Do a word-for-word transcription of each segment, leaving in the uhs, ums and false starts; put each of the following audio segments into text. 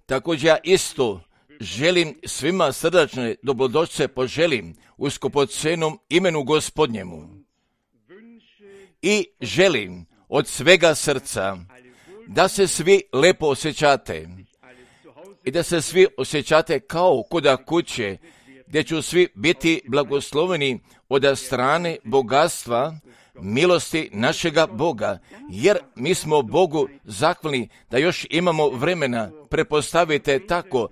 Također ja isto želim svima srdačne dobrodošlice poželim u skupocenom imenu Gospodnjemu. I želim od svega srca da se svi lepo osjećate i da se svi osjećate kao koda kuće, gdje ću svi biti blagosloveni od strane bogatstva, milosti našega Boga, jer mi smo Bogu zahvalni da još imamo vremena. Prepostavite tako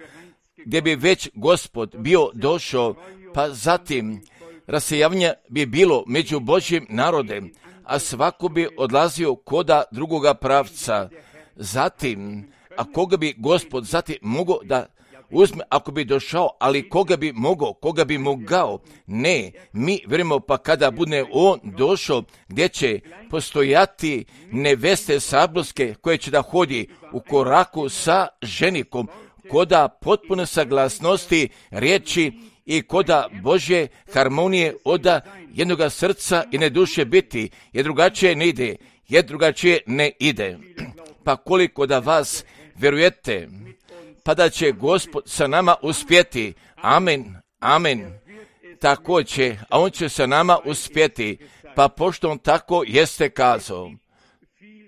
gdje bi već Gospod bio došao, pa zatim rasijavanje bi bilo među Božjim narodem, a svako bi odlazio koda drugoga pravca. Zatim, a koga bi Gospod zatim mogao da uzme, ako bi došao, ali koga bi mogao, koga bi mogao? Ne, mi vjerujemo pa kada bude on došao, gdje će postojati neveste sabljuske koje će da hodi u koraku sa ženikom, koda potpune saglasnosti riječi i koda Božje harmonije oda jednoga srca i ne duše biti, jer drugačije ne ide, jer drugačije ne ide. Pa koliko da vas vjerujete, pa da će Gospod sa nama uspjeti. Amen, amen. Tako će, a on će sa nama uspjeti, pa pošto on tako jeste kazao.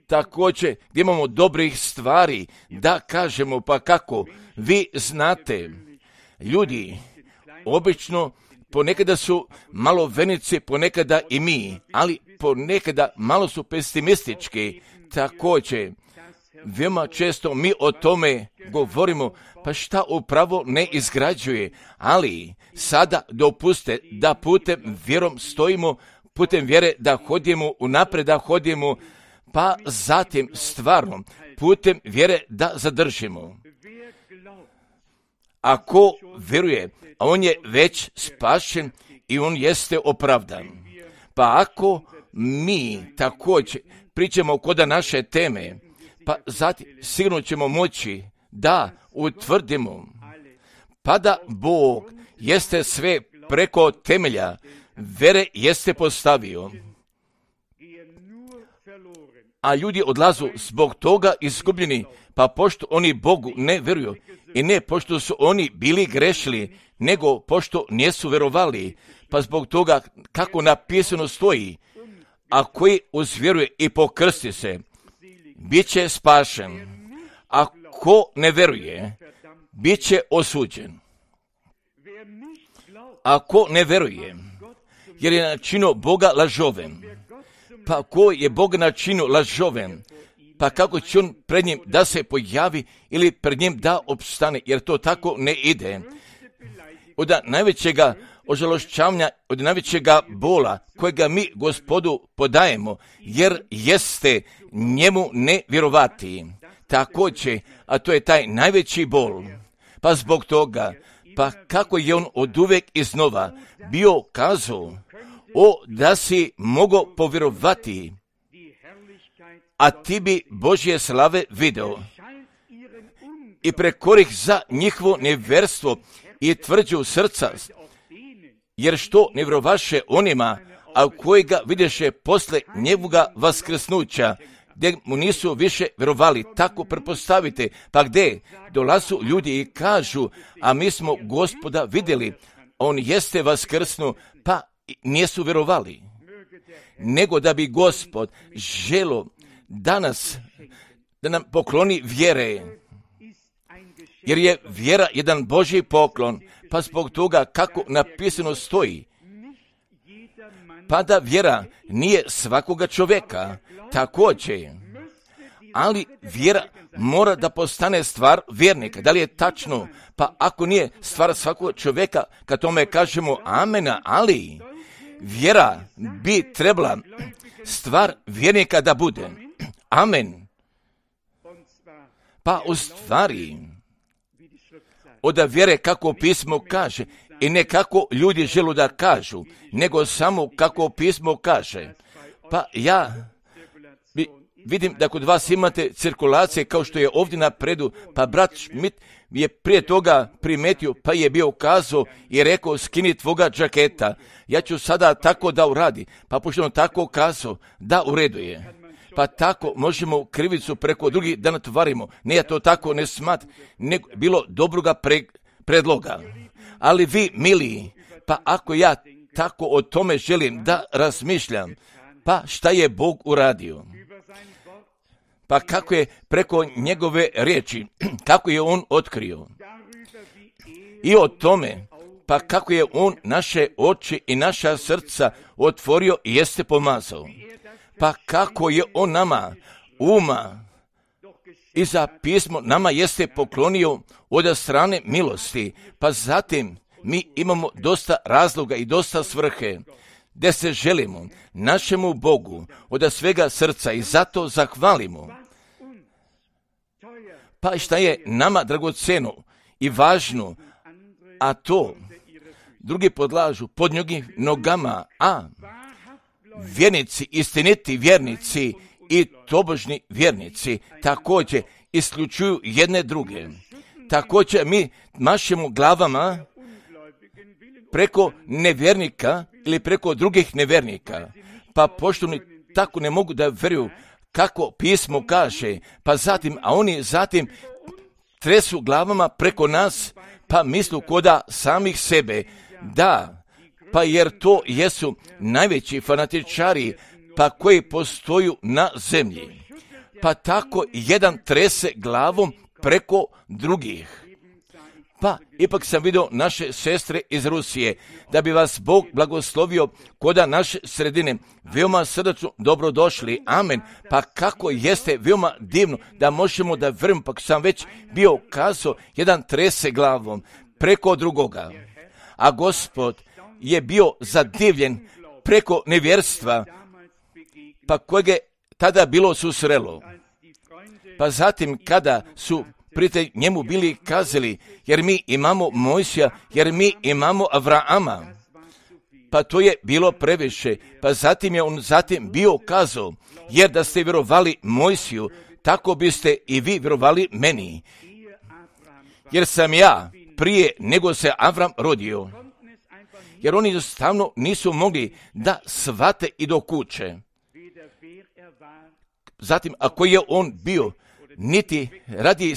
Također, gdje imamo dobrih stvari, da kažemo, pa kako, vi znate, ljudi, obično, ponekada su malo venici, ponekada i mi, ali ponekada malo su pesimistički. Također, veoma često mi o tome govorimo, pa šta upravo ne izgrađuje, ali sada dopuste da putem vjerom stojimo, putem vjere da hodimo, unaprijed da hodimo, pa zatim stvarno putem vjere da zadržimo. Ako vjeruje, a on je već spašen i on jeste opravdan. Pa ako mi također pričamo koda naše teme, pa zatim sigurno ćemo moći da utvrdimo, pa da Bog jeste sve preko temelja vere jeste postavio, a ljudi odlazu zbog toga izgubljeni, pa pošto oni Bogu ne vjeruju i ne pošto su oni bili grešili, nego pošto nisu vjerovali, pa zbog toga kako napisano stoji, a koji uzvjeruje i pokrsti se, bit će spašen. A ko ne vjeruje, bit će osuđen. A ko ne vjeruje, jer je načinio Boga lažovem, pa ko je Boga načinio lažovem, pa kako će on pred njim da se pojavi ili pred njim da opstane, jer to tako ne ide. Od najvećega ožalošćavanja, od najvećega bola kojega mi Gospodu podajemo, jer jeste njemu ne vjerovati. Također, a to je taj najveći bol. Pa zbog toga, pa kako je on od uvek iznova bio kazao, o da si mogao povjerovati, a ti bi Božje slave video i prekorih za njihovo nevjerstvo i tvrđu srca, jer što ne vjerovaše onima, a kojega videše posle njegovoga vaskrsnuća, gdje mu nisu više vjerovali. Tako prepostavite, pa gdje dolazu ljudi i kažu, a mi smo Gospoda vidjeli, on jeste vaskrsnu, pa nisu vjerovali. Nego da bi Gospod želo danas da nam pokloni vjere, jer je vjera jedan Božji poklon, pa zbog toga kako napisano stoji, pa da vjera nije svakoga čovjeka, također, ali vjera mora da postane stvar vjernika. Da li je tačno? Pa ako nije stvar svakog čovjeka, kad tome kažemo amena, ali vjera bi trebala stvar vjernika da bude. Amen. Pa u stvari, od vjere kako pismo kaže, i ne kako ljudi želu da kažu, nego samo kako pismo kaže. Pa ja bi, vidim da kod vas imate cirkulacije kao što je ovdje napredu, pa brat Schmidt je prije toga primetio, pa je bio kazao i rekao, skini tvoga džaketa. Ja ću sada tako da uradi, pa pošto on tako kazao, da u redu je. pa tako možemo krivicu preko drugih da natvarimo. Ne, ja to tako ne smat, nego bilo dobroga pre, predloga. Ali vi, mili, pa ako ja tako o tome želim da razmišljam, pa šta je Bog uradio? Pa kako je preko njegove riječi, kako je on otkrio? I o tome, pa kako je on naše oči i naša srca otvorio i jeste pomazao. Pa kako je on nama uma i za pismo nama jeste poklonio od strane milosti. Pa zatim mi imamo dosta razloga i dosta svrhe gdje se želimo našemu Bogu od svega srca i zato zahvalimo. Pa šta je nama dragoceno i važno, a to drugi podlažu pod njegovim nogama, a vjernici, istiniti vjernici i tobožni vjernici također isključuju jedne druge. Također mi mašemo glavama preko nevjernika ili preko drugih nevjernika, pa pošto oni tako ne mogu da vjeruju kako pismo kaže, pa zatim, a oni zatim tresu glavama preko nas, pa mislu koda samih sebe, da, pa jer to jesu najveći fanatičari, pa koji postoju na zemlji. Pa tako jedan trese glavom preko drugih. Pa ipak sam vidio naše sestre iz Rusije, da bi vas Bog blagoslovio koda naše sredine. Veoma srdačno dobrodošli, amen. Pa kako jeste veoma divno da možemo da vrm, pa sam već bio kazao, jedan trese glavom preko drugoga. A Gospod je bio zadivljen preko nevjerstva, pa kojeg je tada bilo susrelo. Pa zatim kada su prijatelji njemu bili kazali, jer mi imamo Mojsija, jer mi imamo Avrama, pa to je bilo previše. Pa zatim je on zatim bio kazao, jer da ste vjerovali Mojsiju, tako biste i vi vjerovali meni. Jer sam ja prije nego se Avram rodio. Jer oni jednostavno nisu mogli da shvate i do kuće. Zatim, ako je on bio, niti radi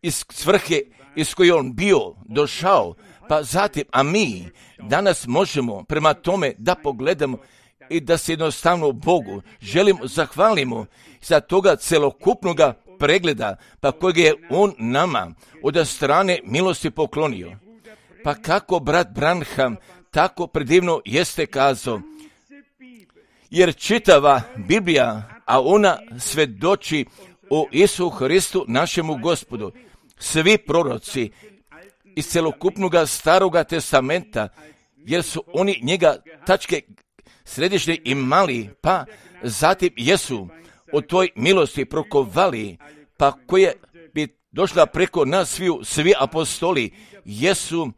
iz svrhe iz koje on bio došao, pa zatim, a mi danas možemo prema tome da pogledamo i da se jednostavno Bogu želimo, zahvalimo za toga celokupnoga pregleda, pa kojeg je on nama od strane milosti poklonio. Pa kako brat Branham tako predivno jeste kazao, jer čitava Biblija, a ona svedoči o Isu Hristu našemu Gospodu. Svi proroci iz celokupnoga staroga testamenta, jer su oni njega tačke središnje imali, pa zatim jesu o toj milosti prokovali, pa koje bi došla preko nas sviju, svi apostoli, jesu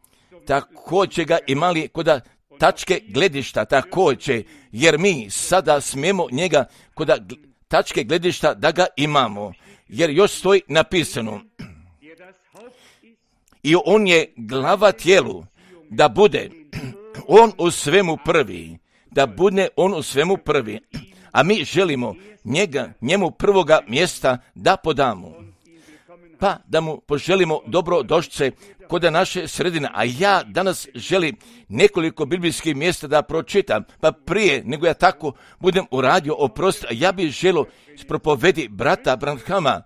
također ga imali koda tačke gledišta, također, jer mi sada smijemo njega koda tačke gledišta da ga imamo, jer još stoji napisano, i on je glava tijelu, da bude on u svemu prvi, da bude on u svemu prvi, a mi želimo njega, njemu prvoga mjesta da podamo, pa da mu poželimo dobrodošlice kod naše sredine. A ja danas želim nekoliko biblijskih mjesta da pročitam, pa prije nego ja tako budem uradio, oprosti, ja bih želio propovedi brata Branhama.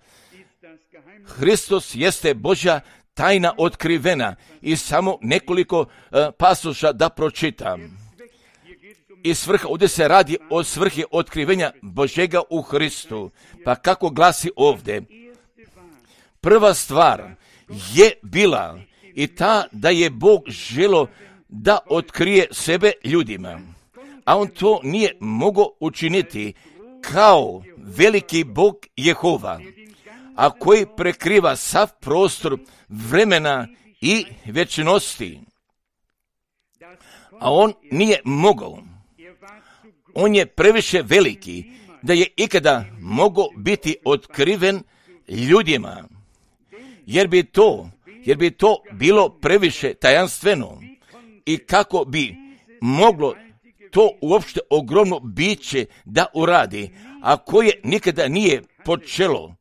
Hristos jeste Božja tajna otkrivena i samo nekoliko uh, pasoša da pročitam. I svrha, ovdje se radi o svrhi otkrivenja Božega u Hristu. Pa kako glasi ovdje? Prva stvar je bila i ta da je Bog želio da otkrije sebe ljudima, a on to nije mogao učiniti kao veliki Bog Jehova, a koji prekriva sav prostor vremena i vječnosti. A on nije mogao. On je previše veliki da je ikada mogao biti otkriven ljudima, jer bi to, jer bi to bilo previše tajanstveno i kako bi moglo to uopšte ogromno biće da uradi, a koje nikada nije počelo.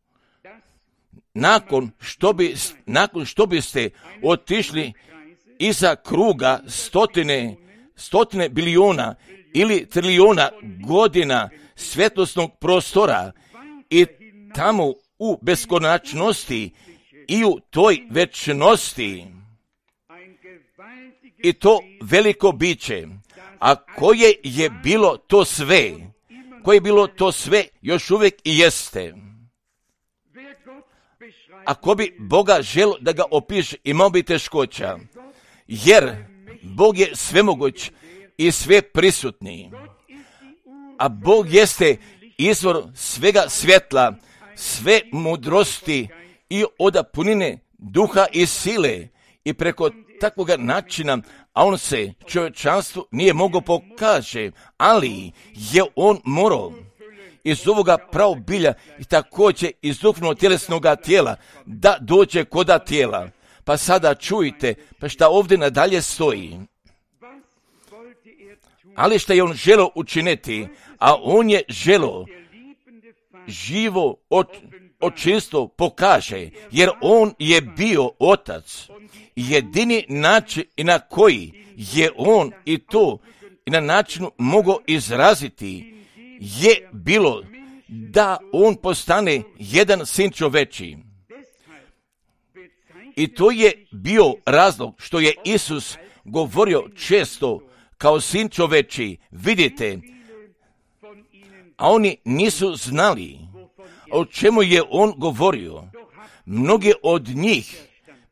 Nakon što, bi, nakon što biste otišli iza kruga stotine, stotine biliona ili trilijona godina svjetlosnog prostora i tamo u beskonačnosti i u toj večnosti, i to veliko biće, a koje je bilo to sve, koje je bilo to sve još uvijek i jeste. Ako bi Boga želo da ga opiše, imao bi teškoća, jer Bog je svemoguć i sve prisutni, a Bog jeste izvor svega svjetla, sve mudrosti i od punine duha i sile, i preko takvog načina, a on se čovječanstvu nije mogao pokaže, ali je on morao iz ovoga praobilja i također iz duhovnog tjelesnog tijela da dođe koda tijela. Pa sada čujte, pa šta ovdje nadalje stoji. Ali šta je on želio učiniti, a on je želio živo očinstvo pokaže, jer on je bio otac. Jedini način i na koji je on i to i na načinu mogao izraziti je bilo da on postane jedan sin čoveči. I to je bio razlog što je Isus govorio često kao sin čoveči, vidite, a oni nisu znali o čemu je on govorio. Mnogi od njih,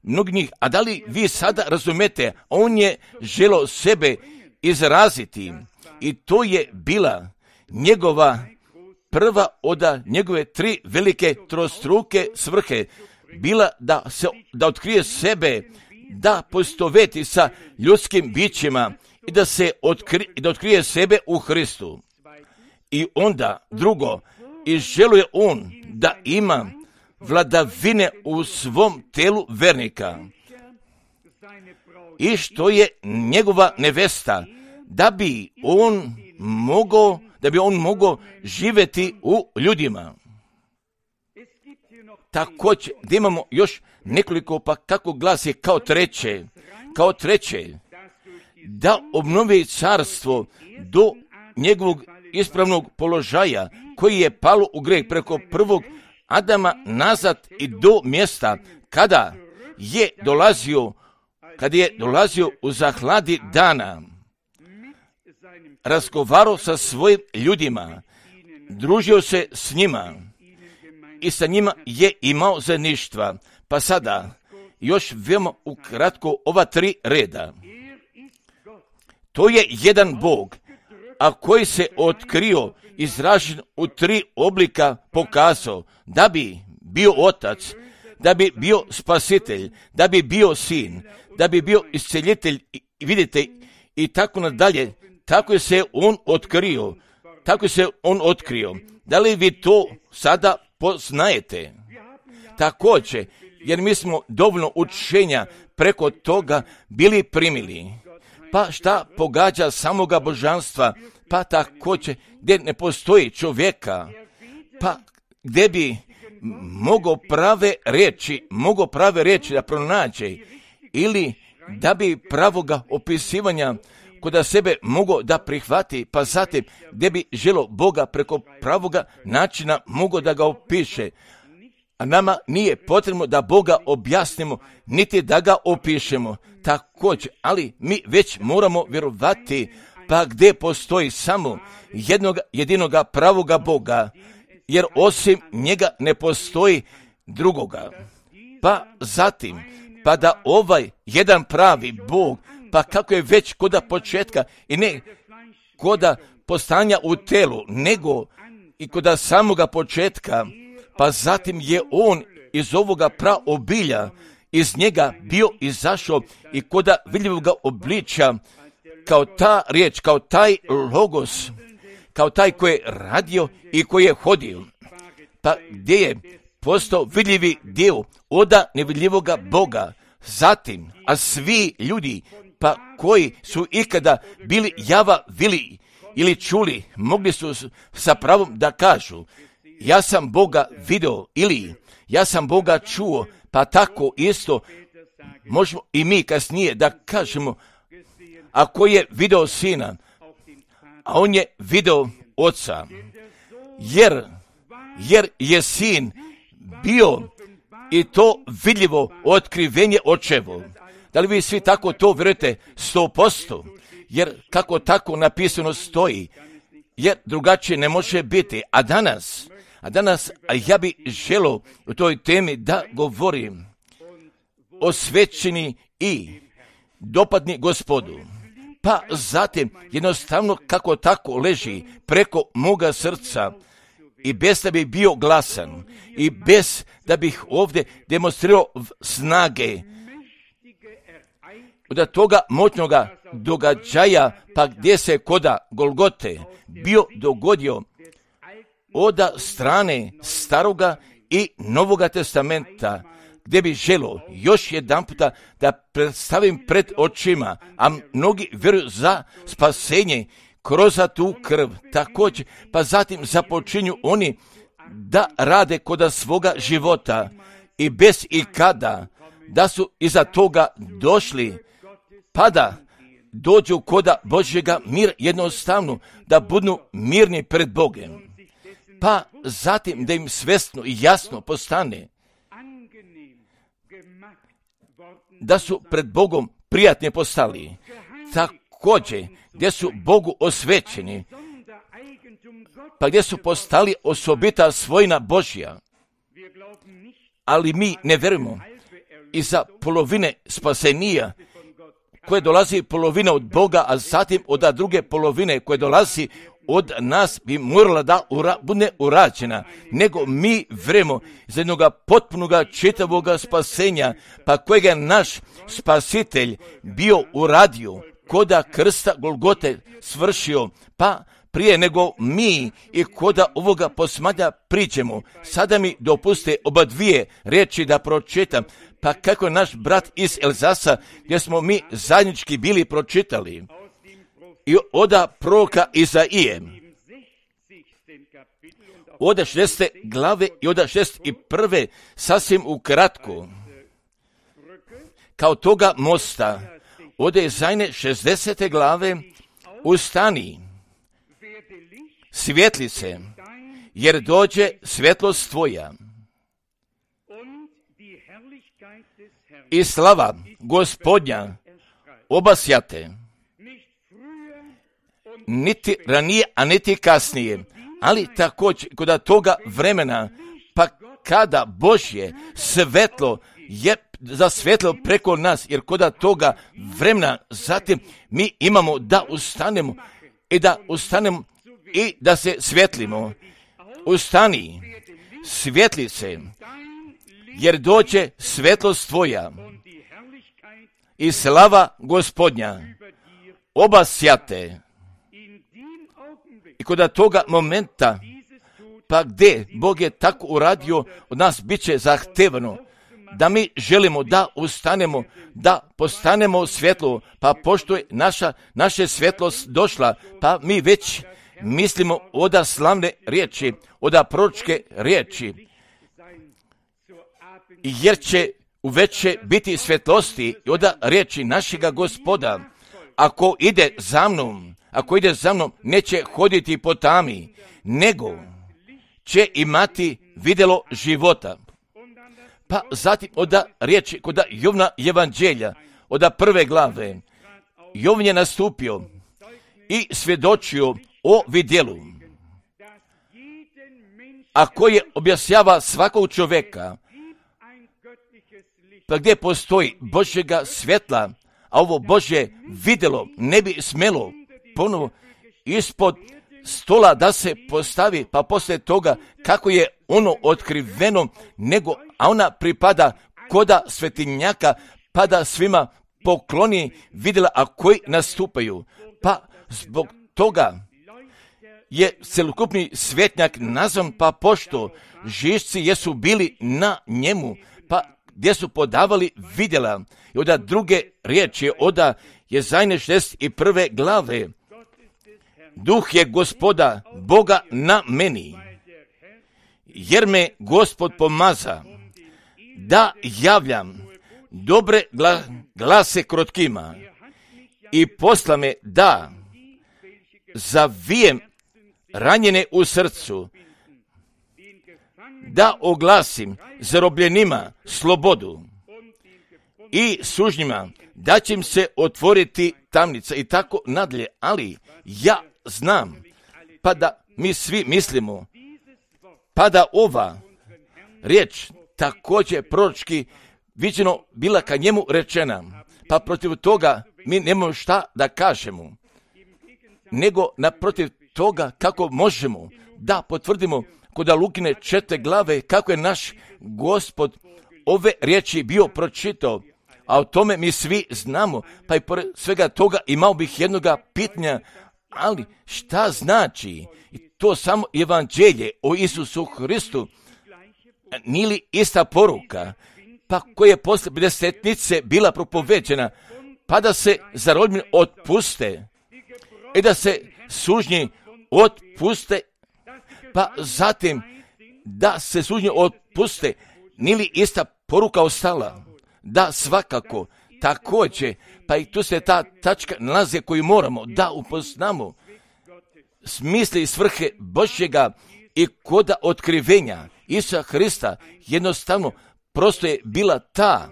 mnogi njih, a da li vi sada razumete, on je želio sebe izraziti i to je bila njegova prva od njegove tri velike trostruke svrhe, bila da se da otkrije sebe, da poistoveti sa ljudskim bićima i da se otkri, da otkrije sebe u Hristu. I onda drugo, i želuje on da ima vladavine u svom telu vernika, i što je njegova nevesta, da bi on mogao da bi on mogao živjeti u ljudima. Također, da imamo još nekoliko, pa kako glasi kao treće, kao treće, da obnovi carstvo do njegovog ispravnog položaja koji je palo u greh preko prvog Adama nazad i do mjesta kada je dolazio, kada je dolazio u zahladi dana, razgovarao sa svojim ljudima, družio se s njima i sa njima je imao zajedništva. Pa sada još veoma ukratko ova tri reda. To je jedan Bog, a koji se otkrio, izražen u tri oblika, pokazao da bi bio otac, da bi bio spasitelj, da bi bio sin, da bi bio isceljitelj, i vidite, i tako nadalje. Tako je se on otkrio, tako je se on otkrio. Da li vi to sada poznajete? Također, jer mi smo dovoljno učenja preko toga bili primili. Pa šta pogađa samoga božanstva, pa također gdje ne postoji čovjeka, pa gdje bi mogao prave riječi, mogao prave riječi da pronađe, ili da bi pravoga opisivanja kod sebe mogao da prihvati, pa zatim gdje bi želo Boga preko pravoga načina mogao da ga opiše. A nama nije potrebno da Boga objasnimo, niti da ga opišemo. Također, ali mi već moramo vjerovati, pa gdje postoji samo jednog, jedinoga pravoga Boga, jer osim njega ne postoji drugoga. Pa zatim, pa da ovaj jedan pravi Bog, pa kako je već koda početka i ne koda postanja u telu, nego i koda samoga početka, pa zatim je on iz ovoga praobilja, iz njega bio izašao i koda vidljivoga obličja, kao ta riječ, kao taj logos, kao taj koji je radio i koji je hodio, pa gdje je postao vidljivi dio oda nevidljivoga Boga. Zatim, a svi ljudi, pa koji su ikada bili java vili ili čuli, mogli su sa pravom da kažu, ja sam Boga video, ili ja sam Boga čuo, pa tako isto možemo i mi kasnije da kažemo, ako je video Sina, a on je video Oca, jer, jer je Sin bio i to vidljivo otkrivenje Očevo. Da li vi svi tako to vjerujete sto posto? Jer kako tako napisano stoji, jer drugačije ne može biti. A danas, a danas a ja bi želio u toj temi da govorim osvećeni i dopadni Gospodu. Pa zatim jednostavno kako tako leži preko moga srca i bez da bi bio glasan i bez da bih ovdje demonstrirao snage od toga moćnoga događaja, pa gdje se koda Golgote bio dogodio od strane staroga i novoga testamenta, gdje bi želio još jedan puta da predstavim pred očima, a mnogi vjeruju za spasenje kroz tu krv. Također, pa zatim započinju oni da rade koda svoga života i bez i kada, da su iza toga došli, pa da dođu koda Božjega mir jednostavno, da budu mirni pred Bogom. Pa zatim da im svjesno i jasno postane da su pred Bogom prijatni postali. Također, gdje su Bogu osvećeni, pa gdje su postali osobita svojina Božja. Ali mi ne vjerujemo iza polovine spasenija koje dolazi polovina od Boga, a zatim od druge polovine koje dolazi od nas bi morala da ura, bude urađena, nego mi vremo za jednog potpunoga čitavoga spasenja, pa kojega je naš spasitelj bio uradio, koda krsta Golgote svršio, pa prije nego mi i koda ovoga posmanja priđemo. Sada mi dopuste oba dvije riječi da pročitam, pa kako naš brat iz Elzasa, gdje smo mi zajednički bili pročitali, i oda proroka Izaije, oda šestdesete glave i oda šezdeset prve sasvim ukratko, kao toga mosta, oda Izajine šezdesete glave, ustani, svjetli se, jer dođe svjetlost tvoja. I slava Gospodnja obasjate, niti ranije, a niti kasnije, ali također kod toga vremena, pa kada Božje svetlo je zasvjetlilo preko nas, jer kod toga vremena zatim mi imamo da ustanemo i da ustanemo i da se svjetlimo. Ustani, svjetli se, jer dođe svetlost tvoja i slava Gospodnja obasjate. I kod toga momenta, pa gdje Bog je tako uradio, od nas bit će zahtevano da mi želimo da ustanemo, da postanemo svjetlo, pa pošto je naša, naša svjetlost došla, pa mi već mislimo oda slavne riječi, oda proročke riječi, jer će uveće biti svjetlosti i oda riječi našega Gospoda, ako ide za mnom, ako ide za mnom, neće hoditi po tami, nego će imati vidjelo života. Pa zatim oda riječi kod Jovna evanđelja, oda prve glave, Jovan je nastupio i svjedočio o vidjelu, a koje objašnjava svakog čovjeka, pa gdje postoji Božjega svjetla, a ovo Božje vidjelo ne bi smjelo ponovo ispod stola da se postavi, pa poslije toga kako je ono otkriveno, nego, a ona pripada koda svetinjaka, pa da svima pokloni vidjela, a koji nastupaju. Pa zbog toga je celokupni svjetnjak nazvan, pa pošto žišci jesu bili na njemu, pa gdje su podavali vidjela. I oda druge riječi, oda Jezajne šezdeset prve glave, duh je Gospoda Boga na meni, jer me Gospod pomaza da javljam dobre gla, glase krotkima i posla me da zavijem ranjene u srcu, da oglasim zarobljenima slobodu i sužnjima da će im se otvoriti tamnica i tako nadalje. Ali ja znam, pa da mi svi mislimo, pa da ova riječ također proročki viđeno bila ka njemu rečena, pa protiv toga mi nemamo šta da kažemo, nego naprotiv toga kako možemo da potvrdimo kod Lukine četiri glave kako je naš Gospod ove riječi bio pročitao, a o tome mi svi znamo, pa i pored svega toga imao bih jednoga pitanja, ali šta znači i to samo evanđelje o Isusu Hristu, nije li ista poruka, pa koja je posle pedesetnice bila propoveđena, pa da se zarobljeni otpuste i da se sužnji otpuste, pa zatim da se sužnji otpuste, nije li ista poruka ostala? Da, svakako, također, pa i tu se ta tačka nalazi koju moramo da upoznamo smisli i svrhe Božjega i koda otkrivenja Isusa Hrista jednostavno prosto je bila ta,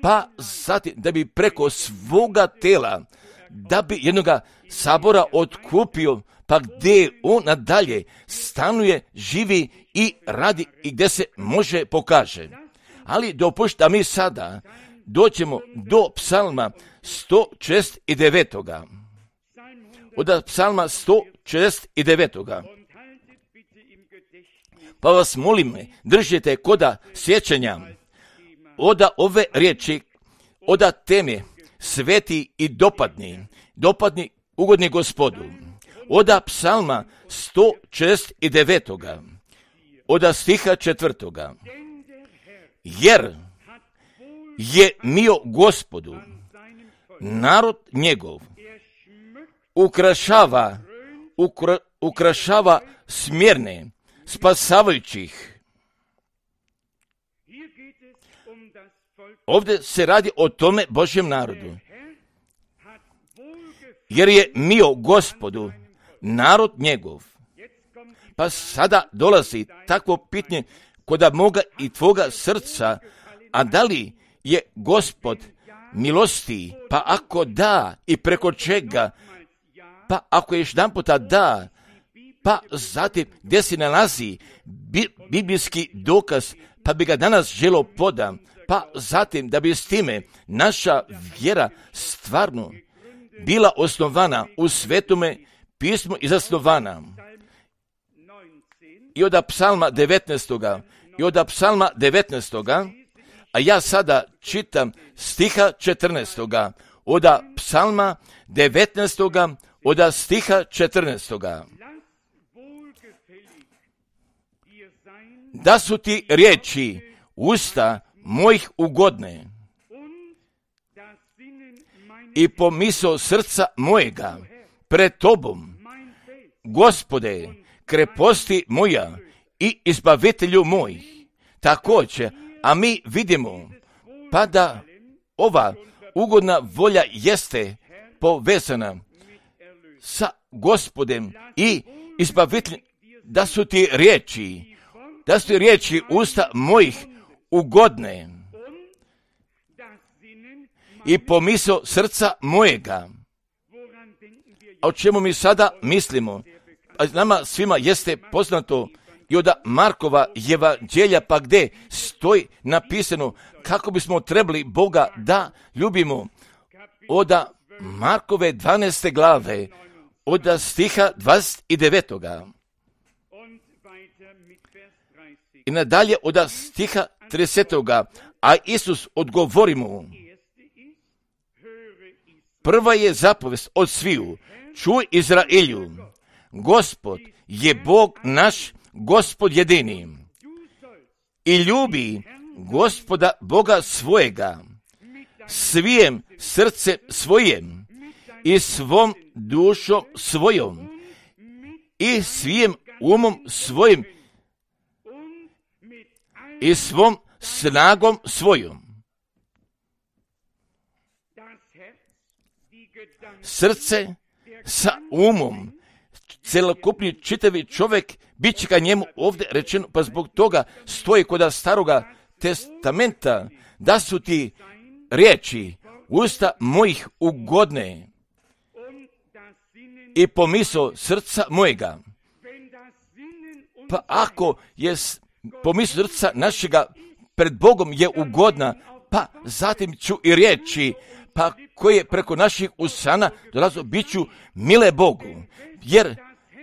pa zatim da bi preko svoga tela, da bi jednoga sabora otkupio, pa gdje on nadalje stanuje, živi i radi i gdje se može pokaže. Ali dopušta da mi sada dođemo do psalma sto šezdeset devet. Od psalma sto šezdeset devet. Pa vas molim, držite koda sjećanja oda ove riječi, oda teme sveti i dopadni, dopadni ugodni Gospodu. Oda psalma sto šezdeset devet. Oda stiha četvrtoga. Jer je mio Gospodu narod njegov ukrašava, ukra, ukrašava smjerne, spasavajućih. Ovdje se radi o tome Božjem narodu. Jer je mio Gospodu narod njegov. Pa sada dolazi takvo pitanje koda moga i tvoga srca, a da li je Gospod milosti, pa ako da i preko čega, pa ako još jedan puta da, pa zatim gdje se nalazi bi, biblijski dokaz, pa bi ga danas želo podam, pa zatim da bi s time naša vjera stvarno bila osnovana u Svetome pismu i zasnovana. I od psalma devetnaest. I od psalma devetnaest. A ja sada čitam stiha četrnaest. Od psalma devetnaest. Od stiha četrnaest. Da su ti riječi usta mojih ugodne i pomisao srca mojega pred tobom, Gospode, kreposti moja i izbavitelju moj. Također, a mi vidimo pa da ova ugodna volja jeste povezana sa Gospodem i izbaviteljem, da su ti riječi, da su ti riječi usta mojih ugodne i pomisao srca mojega. A o čemu mi sada mislimo? A nama svima jeste poznato i od Markova evanđelja, pa gdje stoji napisano kako bismo trebali Boga da ljubimo. Od Markove dvanaeste glave, od stiha dvadeset devet. I nadalje od stiha trideset. A Isus odgovori mu: prva je zapovest od sviju, čuj Izraelju, Gospod je Bog naš, Gospod jedini. I ljubi Gospoda Boga svojega svijem srce svojem i svom dušom svojom i svim umom svojim i svom snagom svojom. Srce sa umom, celokupni čitavi čovjek, bit će ka njemu ovdje rečeno, pa zbog toga stoji kod staroga testamenta, da su ti riječi usta mojih ugodne i pomisao srca mojega. Pa ako je pomisao srca našega pred Bogom je ugodna, pa zatim ću i riječi, pa koje preko naših usana dolazo, bit ću mile Bogu, jer,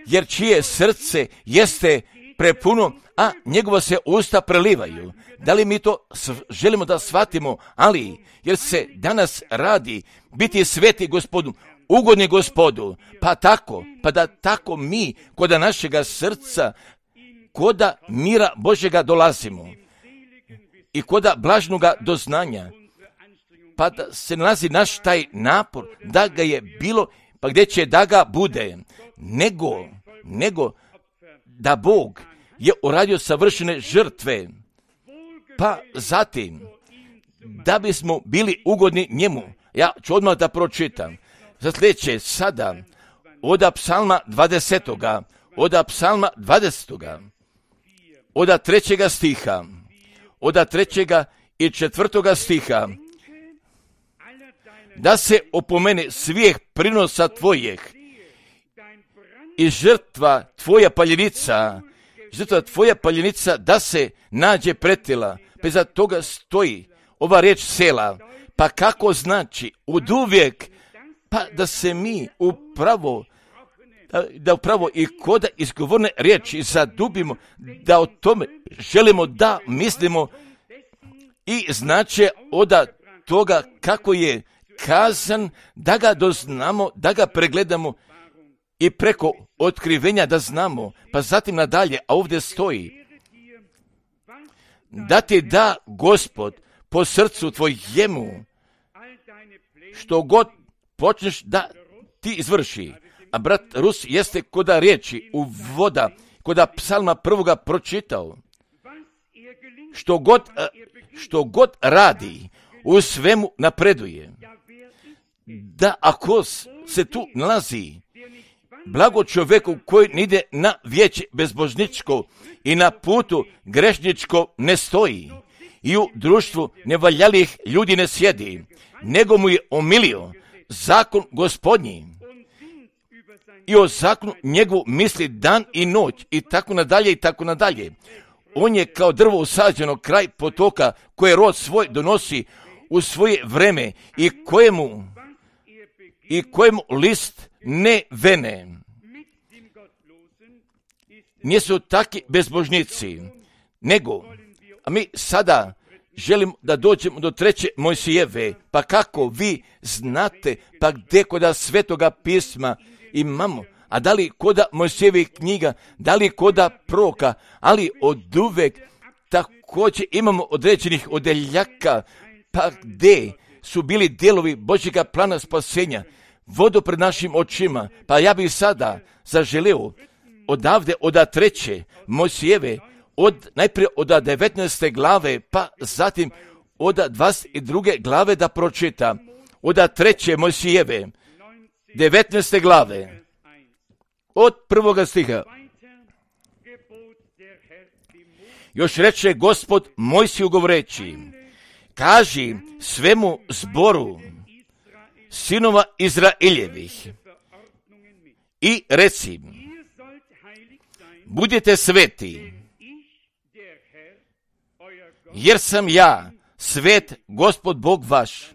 jer čije srce jeste prepuno, a njegova se usta prelivaju. Da li mi to želimo da shvatimo? Ali, jer se danas radi biti sveti Gospodu, ugodni Gospodu, pa tako, pa da tako mi kod našega srca, kod mira Božjega dolazimo i kod blažnoga doznanja, pa da se nalazi naš taj napor, da ga je bilo, pa gdje će da ga bude, nego, nego da Bog je uradio savršene žrtve, pa zatim, da bismo bili ugodni njemu. Ja ću odmah da pročitam. Za sljedeće sada, od psalma dvadesetoga, od psalma dvadesetoga, od trećega stiha, od trećega i četvrtoga stiha, da se opomene svih prinosa tvojih i žrtva tvoja paljenica, žrtva tvoja paljenica da se nađe pretila, pa iza toga stoji ova riječ sela, pa kako znači oduvijek, pa da se mi upravo, da upravo i koda izgovorne riječi zadubimo, da o tome želimo da mislimo i znače od toga kako je kazan, da ga doznamo, da ga pregledamo i preko otkrivenja da znamo, pa zatim nadalje, a ovdje stoji, da ti da Gospod po srcu tvojemu, što god počneš da ti izvrši. A brat Rus jeste koda riječi u voda, koda psalma prvoga pročitao, što god, što god radi, u svemu napreduje. Da ako se tu nalazi blago čovjeku koji ide na vijeće bezbožničko i na putu grešničko ne stoji i u društvu nevaljalih ljudi ne sjedi, nego mu je omilio zakon Gospodnji i o zakonu njegovu misli dan i noć i tako nadalje i tako nadalje. On je kao drvo usađeno kraj potoka koje rod svoj donosi u svoje vreme i kojemu i kojemu list ne vene. Nisu taki bezbožnici, nego, a mi sada želimo da dođemo do treće Mojsijeve, pa kako vi znate, pa gdje koda Svetoga pisma imamo, a da li koda Mojsijevih knjiga, da li koda proroka, ali od uvek također imamo određenih odeljaka, pa gdje su bili dijelovi Božjega plana spasenja, vodu pred našim očima, pa ja bih sada zaželio odavde od treće Mojsijeve, od, najprije od devetnaeste glave, pa zatim od dvadeset druge glave da pročita, od treće Mojsijeve, devetnaeste glave, od prvoga stiha. Još reče Gospod Mojsiju govoreći, kaži svemu zboru sinova Izraeljevih i reci, budite sveti, jer sam ja svet Gospod Bog vaš.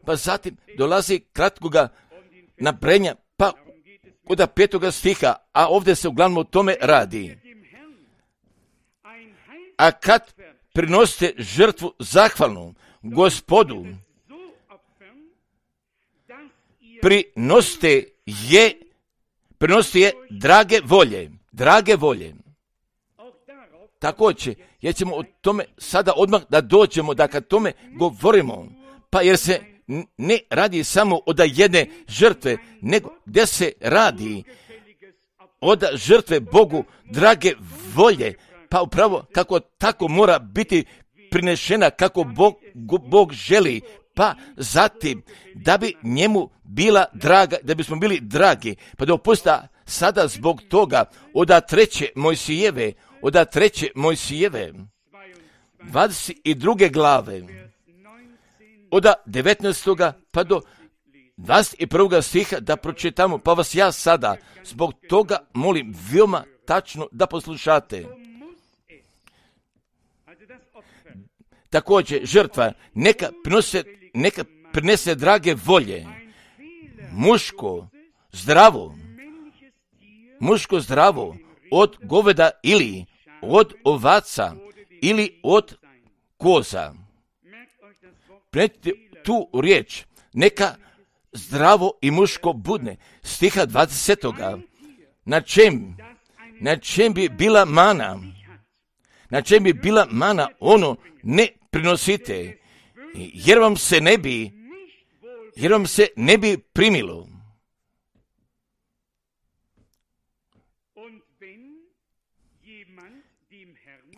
Pa zatim dolazi kratkoga nabrajanja, pa kod petoga stiha, a ovdje se uglavnom o tome radi. A kad prinosite žrtvu zahvalnu Gospodu, prinosite je, prinosite je drage volje, drage volje. Također, jer ćemo o tome sada odmah da dođemo, da kad tome govorimo, pa jer se ne radi samo od jedne žrtve, nego gdje se radi od žrtve Bogu drage volje, pa upravo kako tako mora biti prinešena kako Bog, Bog želi, pa zatim da bi njemu bila draga, da bismo bili dragi, pa dopusta sada zbog toga od treće Mojsijeve, od treće Mojsijeve, dvadeset druge glave, od devetnaestoga pa do dvadeset prvog stiha da pročitamo, pa vas ja sada zbog toga molim veoma tačno da poslušate. Također, žrtva neka prinose, neka prinese drage volje, muško, zdravo, muško zdravo, od goveda ili od ovaca ili od koza. Prenijte tu riječ, neka zdravo i muško budne, stiha dvadesetoga. Na čem, na čem bi bila mana, na čem bi bila mana, ono ne prinosite, jer vam se ne bi, jer vam se ne bi primilo.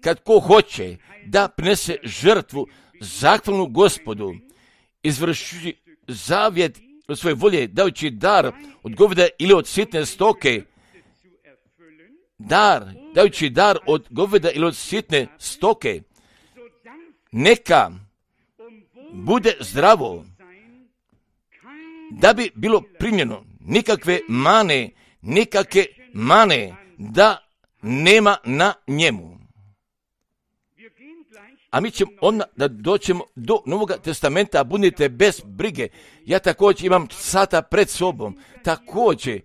Kad ko hoće da prinese žrtvu zahvalnu Gospodu, izvrši zavjet od svoje volje, dajući dar od goveda ili od sitne stoke, dar, dajući dar od goveda ili od sitne stoke, neka bude zdravo, da bi bilo primljeno, nikakve mane, nikakve mane, da nema na njemu. A mi ćemo onda da doćemo do Novog testamenta, budite bez brige. Ja također imam sata pred sobom, također,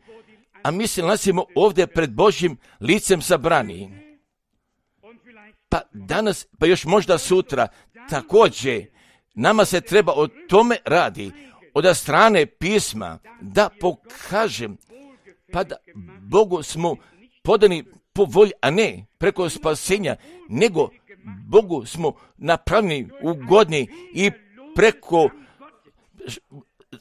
a mi se nalazimo ovdje pred Božjim licem sabrani. Pa danas, pa još možda sutra, također, nama se treba o tome radi, od strane pisma, da pokažem, pa da Bogu smo podani po volji, a ne preko spasenja, nego Bogu smo napravljeni ugodni i preko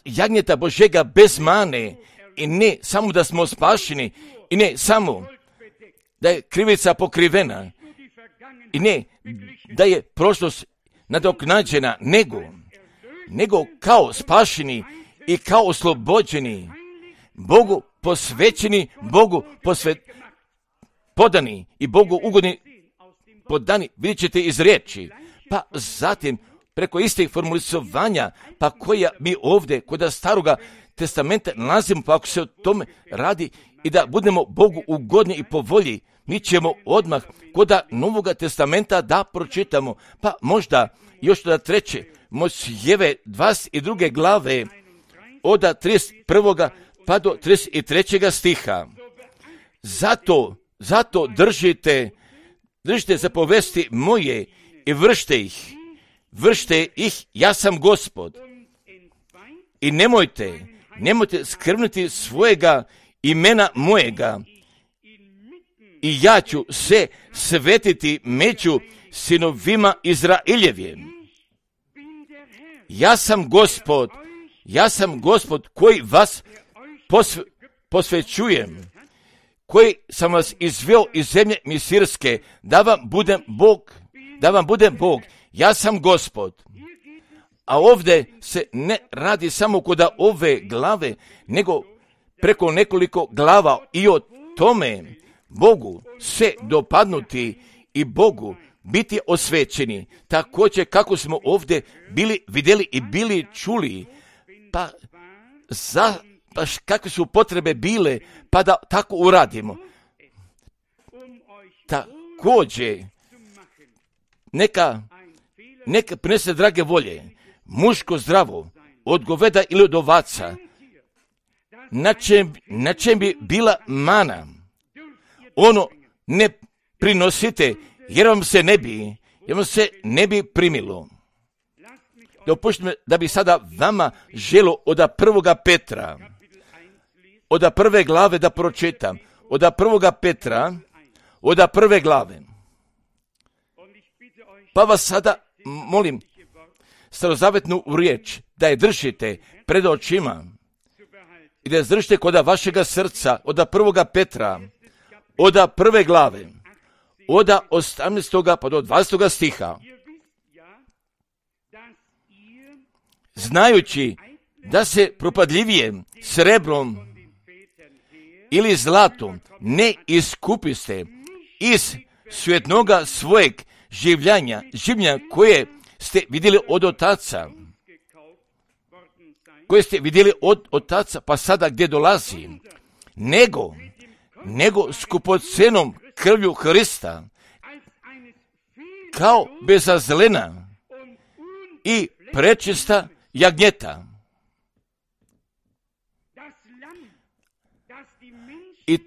jagnjeta Božjega bez mane, i ne samo da smo spašeni, i ne samo da je krivica pokrivena, i ne da je prošlost nadoknađena, nego, nego kao spašeni i kao oslobođeni, Bogu posvećeni, Bogu posvet, podani i Bogu ugodni podani, vidjet ćete iz riječi. Pa zatim, preko istih formulisovanja, pa koja mi ovdje, kod staroga testamenta nalazimo, pa ako se o tome radi i da budemo Bogu ugodni i po volji, mi ćemo odmah kod Novoga testamenta da pročitamo, pa možda još da treće, Mojsijeve dvadeset druge glave, od trideset prvoga pa do trideset trećega stiha. Zato, zato držite, držite zapovesti moje i vršte ih, vršte ih, ja sam Gospod. I nemojte, nemojte skrbnuti svojega imena mojega, i ja ću se svetiti među sinovima Izraeljevim. Ja sam Gospod, ja sam Gospod koji vas posve, posvećujem, koji sam vas izveo iz zemlje Misirske, da vam budem Bog, da vam budem Bog, ja sam Gospod. A ovdje se ne radi samo kod ove glave, nego preko nekoliko glava i o tome Bogu se dopadnuti i Bogu biti osvećeni, također kako smo ovdje bili vidjeli i bili čuli, pa za pa kakve su potrebe bile, pa da tako uradimo. Također, neka, neka prinese drage volje, muško zdravo, od goveda ili od ovaca, na čem, na čem bi bila mana. Ono ne prinosite, jer vam se ne bi, jer vam se ne bi primilo. Dopuštite da bi sada vama želo od prvoga Petra, od prve glave da pročitam, od prvoga Petra, od prve glave. Pa vas sada molim, starozavetnu riječ, da je držite pred očima i da je držite kod vašega srca, od prvoga Petra, oda prve glave, oda osamnaestoga pa do dvadesetoga stiha. Znajući da se propadljivije srebrom ili zlatom ne iskupiste iz svjetnoga svojeg življenja, življenja koje ste vidjeli od otaca, koje ste vidjeli od otaca, pa sada gdje dolazi, nego, nego skupocenom krvlju Hrista, kao bezazlena i prečista jagnjeta. I,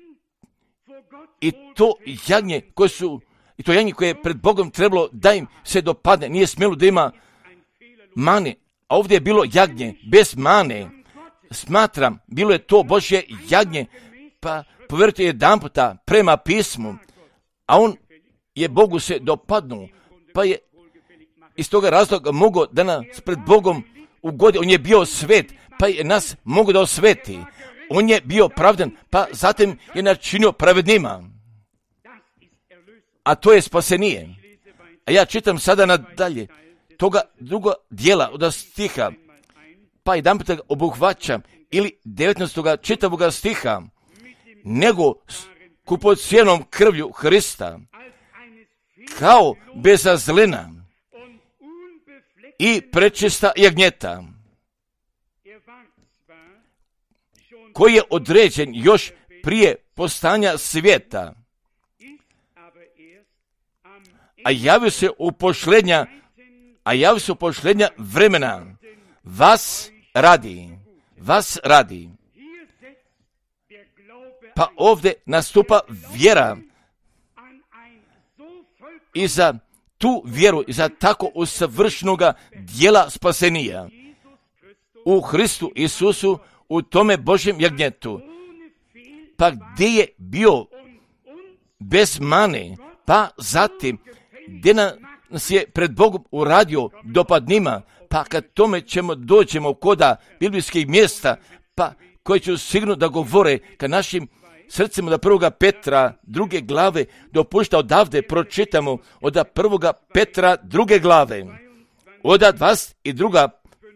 i to jagnje koje su, i to jagnje koje je pred Bogom trebalo da im se dopadne, nije smjelo da ima mane, a ovdje je bilo jagnje bez mane. Smatram, bilo je to Božje jagnje, pa povjerujte jedan puta prema pismu, a on je Bogu se dopadnuo, pa je iz toga razloga mogao da nas pred Bogom ugodi. On je bio svet, pa je nas mogao da osveti. On je bio pravdan, pa zatim je načinio pravednima. A to je spasenije. A ja čitam sada nadalje toga druga dijela od stiha, pa jedan puta obuhvaćam, ili devetnaestoga čitavoga stiha, nego skupocijenom krvlju Hrista, kao bezazlena i prečista jagnjeta, koji je određen još prije postanja svijeta, a javio se u pošlednja, a javio se u pošlednja vremena, vas radi, vas radi. Pa ovdje nastupa vjera i za tu vjeru, i za tako usavršenoga dijela spasenija u Hristu Isusu, u tome Božjem jagnjetu. Pa gdje je bio bez mane, pa zatim gdje nas je pred Bogom uradio dopadnima, pa kad tome ćemo dođemo koda biblijskih mjesta, pa koji će sigurno da govore ka našim srcima, da prvoga Petra druge glave dopušta odavde pročitamo od prvoga Petra druge glave, od dvadeset druga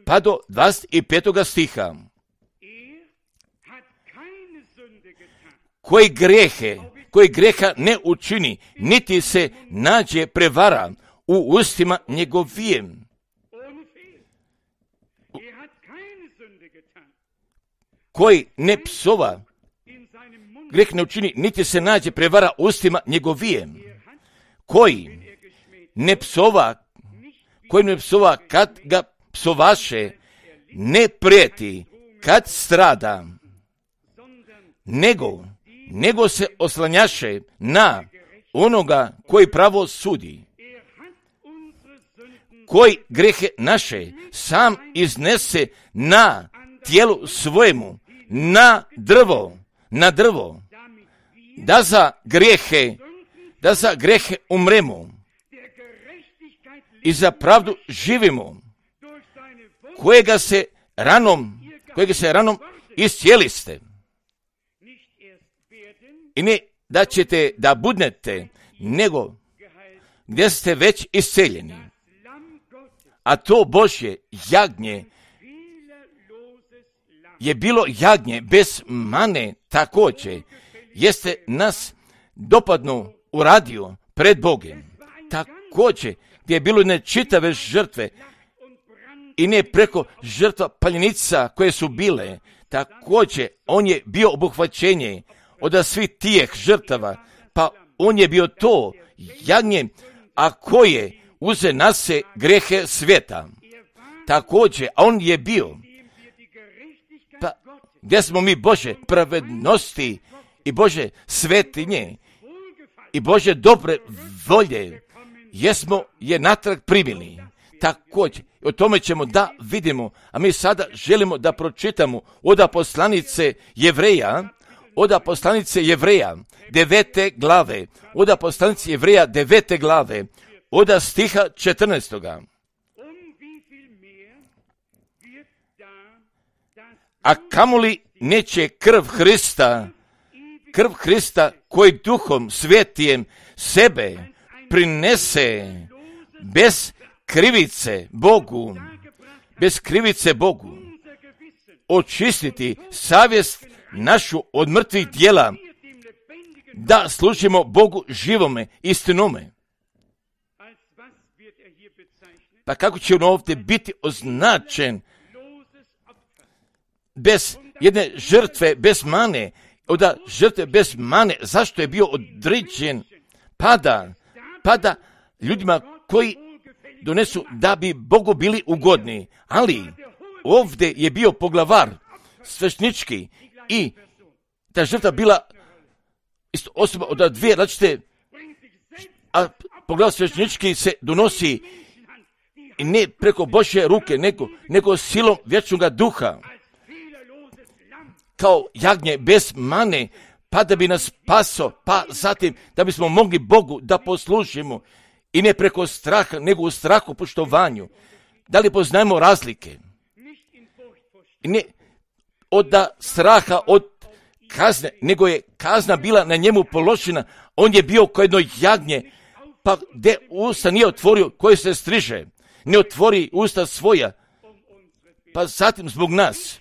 pa do dvadeset petoga stiha. Koji grehe, koji greha ne učini, niti se nađe prevara u ustima njegovijem. Koji ne psova, greh ne učini, niti se nađe prevara u ustima njegovijem. Koji ne psova, koji ne psova kad ga psovaše, ne prijeti kad strada, nego, nego se oslanjaše na onoga koji pravo sudi, koji grehe naše sam iznese na tijelu svojemu, na drvo, na drvo, da za grehe, da za grehe umremo i za pravdu živimo, kojega se ranom, kojega se ranom iscijeliste. I ne da ćete da budnete, nego gdje ste već isceljeni. A to Božje jagnje je bilo jagnje bez mane također, jeste nas dopadno uradio pred Bogom. Također gdje je bilo ne čitave žrtve i ne preko žrtva paljenica koje su bile, također on je bio obuhvaćenje od svih tijeh žrtava, pa on je bio to jagnje, a koje uze na se grehe svijeta. Također, a on je bio, pa gdje smo mi Bože pravednosti i Bože svetinje i Bože dobre volje, jesmo je natrag primili. Također, o tome ćemo da vidimo, a mi sada želimo da pročitamo od poslanice Jevreja, od poslanice Jevreja, devete glave, od poslanice Jevreja, devete glave, od stiha četrnaestoga. A kamoli neće krv Hrista, krv Hrista koji duhom svetijem sebe prinese bez krivice Bogu, bez krivice Bogu, očistiti savjest našu od mrtvih djela, da služimo Bogu živome, istinome. Pa kako će on ovdje biti označen? Bez jedne žrtve, bez mane, onda žrtve bez mane, zašto je bio određen? Pada, pada ljudima koji donesu da bi Bogu bili ugodni, ali ovdje je bio poglavar sveštenički i ta žrtva bila isto osoba od dvije različite, a poglavar sveštenički se donosi i ne preko Božje ruke, nego, nego silom vječnoga duha, kao jagnje bez mane, pa da bi nas spaso, pa zatim da bismo mogli Bogu da poslužimo i ne preko straha, nego u strahu poštovanju. Da li poznajemo razlike? I ne od straha, od kazne, nego je kazna bila na njemu položena. On je bio kao jedno jagnje, pa gdje usta nije otvorio, koje se striže, ne otvori usta svoja, pa zatim zbog nas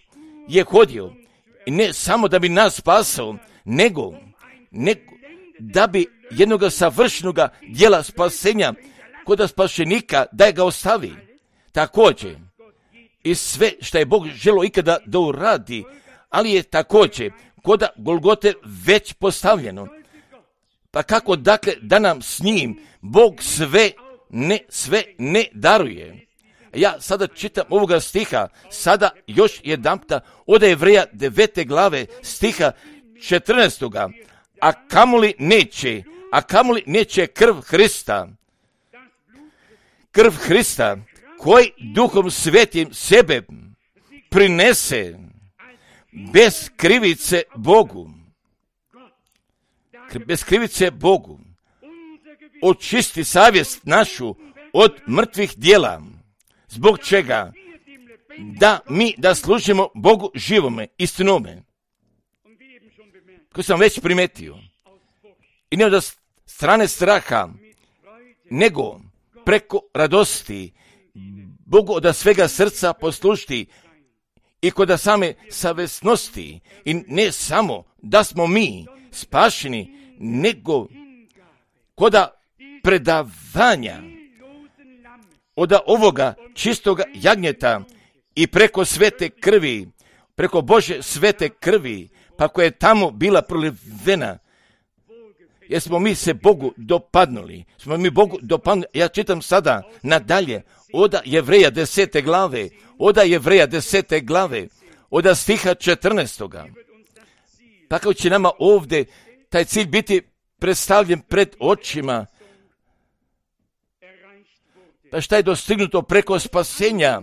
je hodio. I ne samo da bi nas spasao, nego, nego da bi jednoga savršenoga djela spasenja kod spašenika da ga ostavi. Također, i sve što je Bog želio ikada da uradi, ali je također kod Golgote već postavljeno. Pa kako dakle da nam s njim Bog sve ne, sve ne daruje? Ja sada čitam ovoga stiha, sada još jedanputa od Jevreja devete glave stiha četrnaestoga. A kamoli neće, a kamoli neće krv Hrista, krv Hrista koji duhom svetim sebe prinese bez krivice Bogu, bez krivice Bogu, očisti savjest našu od mrtvih djela. Zbog čega? Da mi da služimo Bogu živome, istinome. Koji sam već primetio. I ne od strane straha, nego preko radosti Bogu od svega srca poslušti i kod same savjesnosti. I ne samo da smo mi spašeni, nego kod predavanja od ovoga čistoga jagnjeta i preko svete krvi, preko Bože svete krvi, pa koja je tamo bila prolivena, jer smo mi se Bogu dopadnuli. Smo mi Bogu dopadnuli. Ja čitam sada nadalje, od Jevreja desete glave, od Jevreja desete glave, od stiha četrnaestoga. Pa kako će nama ovdje taj cilj biti predstavljen pred očima? Pa šta je dostignuto preko spasenja?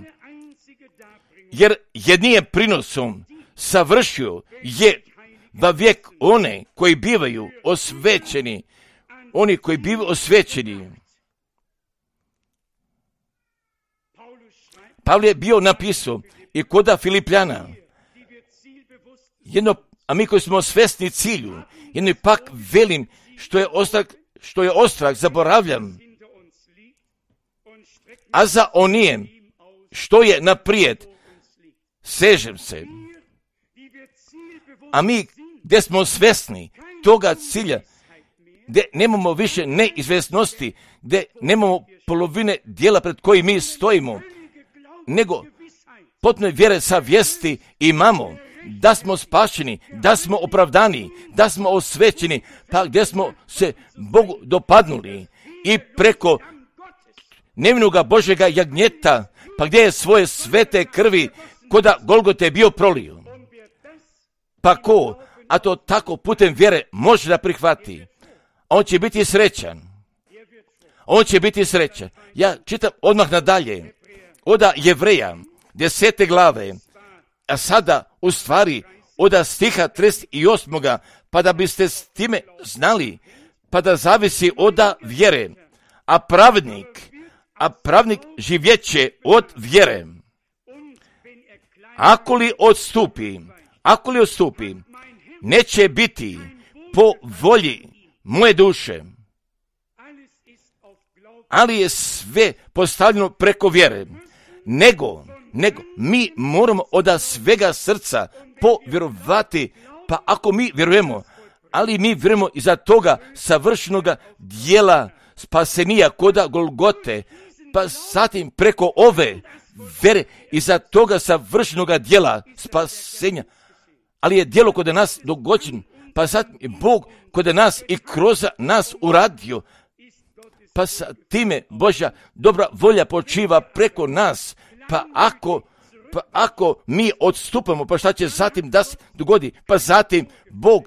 Jer jednije prinosom savršio je va vijek one koji bivaju osvećeni, oni koji bivaju osvećeni. Pavle je bio napisao i koda Filipljana, jedno, a mi koji smo svesni cilju, jedno pak velim što je ostrah, što je ostrah zaboravljam, a za onijem što je naprijed sežem se. A mi gdje smo svesni toga cilja, gdje nemamo više neizvjesnosti, gdje nemamo polovine dijela pred koji mi stojimo, nego potpuno vjere sa vijesti imamo da smo spašeni, da smo opravdani, da smo osvećeni, pa gdje smo se Bogu dopadnuli i preko nevinoga Božjega jagnjeta, pa gdje je svoje svete krvi koda Golgote bio prolio. Pa ko, a to tako putem vjere može da prihvati, on će biti srećan. On će biti srećan. Ja čitam odmah nadalje, od Jevreja, desete glave, a sada u stvari od stiha trideset osam. Pa da biste s time znali, pa da zavisi od vjere, a pravnik, a pravnik živjeće od vjere. Ako li odstupi, ako li odstupi, neće biti po volji moje duše. Ali je sve postavljeno preko vjere. Nego, nego, mi moramo od svega srca povjerovati, pa ako mi vjerujemo, ali mi vjerujemo iza toga savršenoga dijela spasenija koda Golgote, pa zatim preko ove vere iza toga savršenoga dijela spasenja, ali je dijelo kod nas dogođeno, pa zatim je Bog kod nas i kroz nas uradio, pa sa time Božja dobra volja počiva preko nas, pa ako, pa ako mi odstupamo, pa šta će zatim da se dogodi, pa zatim Bog,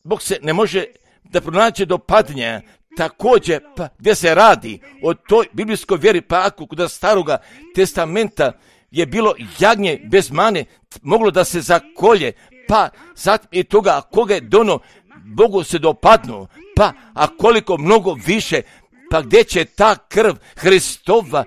Bog se ne može da pronaće do padnja, također, pa gdje se radi o toj biblijskoj vjeri, pa ako kod staroga testamenta je bilo jagnje bez mane, moglo da se zakolje, pa zatim i toga, a koga je dono, Bogu se dopadnu, pa a koliko mnogo više, pa gdje će ta krv Hristova,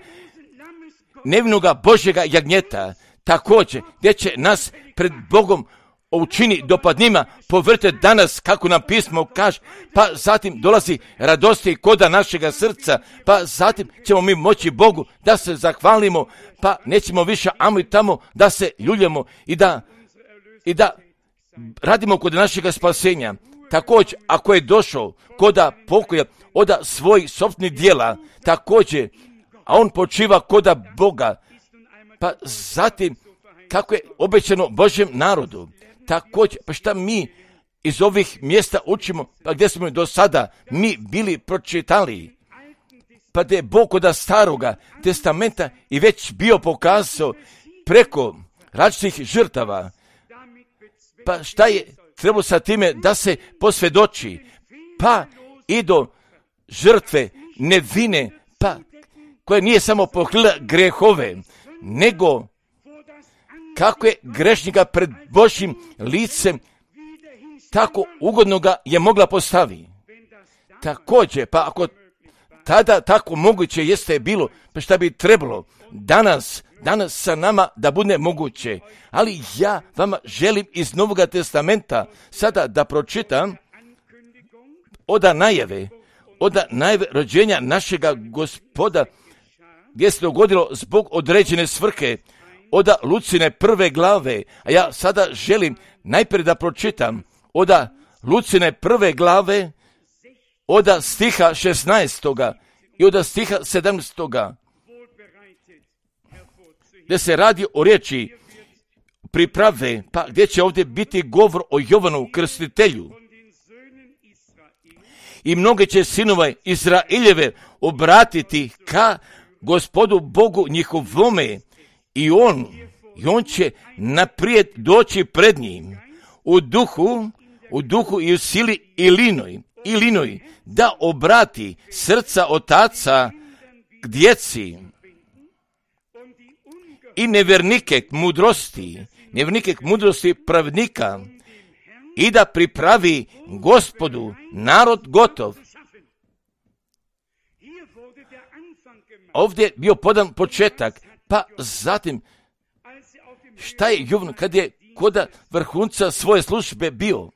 nevinoga Božjega jagnjeta, također, gdje će nas pred Bogom učini dopadnima, povrte danas, kako nam pismo kaže, pa zatim dolazi radosti koda našega srca, pa zatim ćemo mi moći Bogu da se zahvalimo, pa nećemo više amo i tamo da se ljuljamo i da, i da radimo kod našega spasenja. Također, ako je došao koda pokoja oda svojih sopstvenih dijela, također, a on počiva koda Boga, pa zatim, kako je obećano Božjem narodu, također, pa šta mi iz ovih mjesta učimo, pa gdje smo do sada mi bili pročitali, pa da je Bog koda staroga testamenta i već bio pokazao preko različitih žrtava, pa šta je trebalo sa time da se posvjedoči, pa i do žrtve nevine, pa koja nije samo pokrila grehove, nego kako je grešnika pred Božjim licem tako ugodno ga je mogla postaviti. Također, pa ako tada tako moguće jeste bilo, pa šta bi trebalo danas, danas sa nama da bude moguće. Ali ja vama želim iz Novoga testamenta sada da pročitam oda najave, oda najave rođenja našega Gospoda, gdje se dogodilo zbog određene svrhe, oda Lucine prve glave, a ja sada želim najprije da pročitam oda Lucine prve glave, oda stiha šesnaestoga i oda stiha sedamnaestoga, gdje se radi o riječi priprave, pa gdje će ovdje biti govor o Jovanu Krstitelju. I mnoge će sinova Izraeljeve obratiti ka Gospodu Bogu njihovome, i on, i on će naprijed doći pred njim u duhu, u duhu i u sili i linoj, i linoj, da obrati srca otaca k djeci i nevjernike k mudrosti, nevjernike k mudrosti pravednika, i da pripravi Gospodu narod gotov. Ovdje je bio podan početak, pa zatim šta je Jovan kad je koda vrhunca svoje službe bio?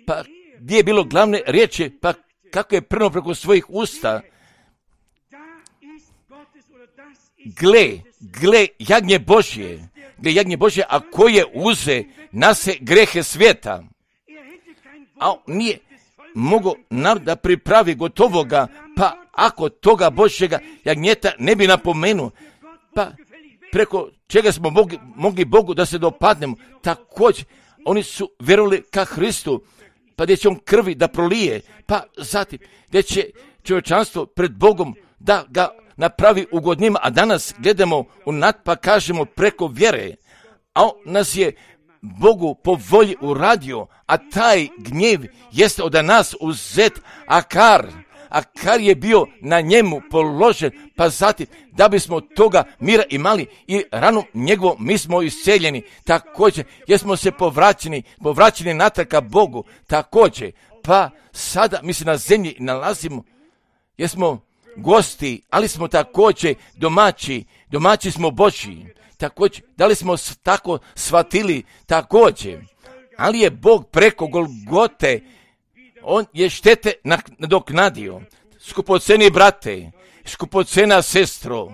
Pa gdje je bilo glavne riječi, pa kako je prno preko svojih usta? Gle, gle jagnje Božje, gle jagnje Božje, a koje uze nase grehe svijeta. A nije mogo narod da pripravi gotovoga, pa ako toga Božjega jagnjeta ne bi napomenuo, pa preko čega smo mogli, mogli Bogu da se dopadnemo, također oni su vjerovali ka Hristu, pa gdje će on krvi da prolije, pa zatim gdje će čovječanstvo pred Bogom da ga napravi ugodnima, a danas gledamo u nad pa kažemo preko vjere, a on nas je Bogu po volji uradio, a taj gnjev jeste od nas uzet, a kar, a kar je bio na njemu položen, pa zatim da bismo toga mira imali i ranom njegovom mi smo isceljeni, također jesmo se povraćeni, povraćeni natrag ka Bogu, također, pa sada mi se na zemlji nalazimo, jesmo gosti, ali smo također domaći, domaći smo Božji, također, da li smo tako shvatili, također, ali je Bog preko Golgote, on je štete nadoknadio. Skupoceni brate, skupocena sestro,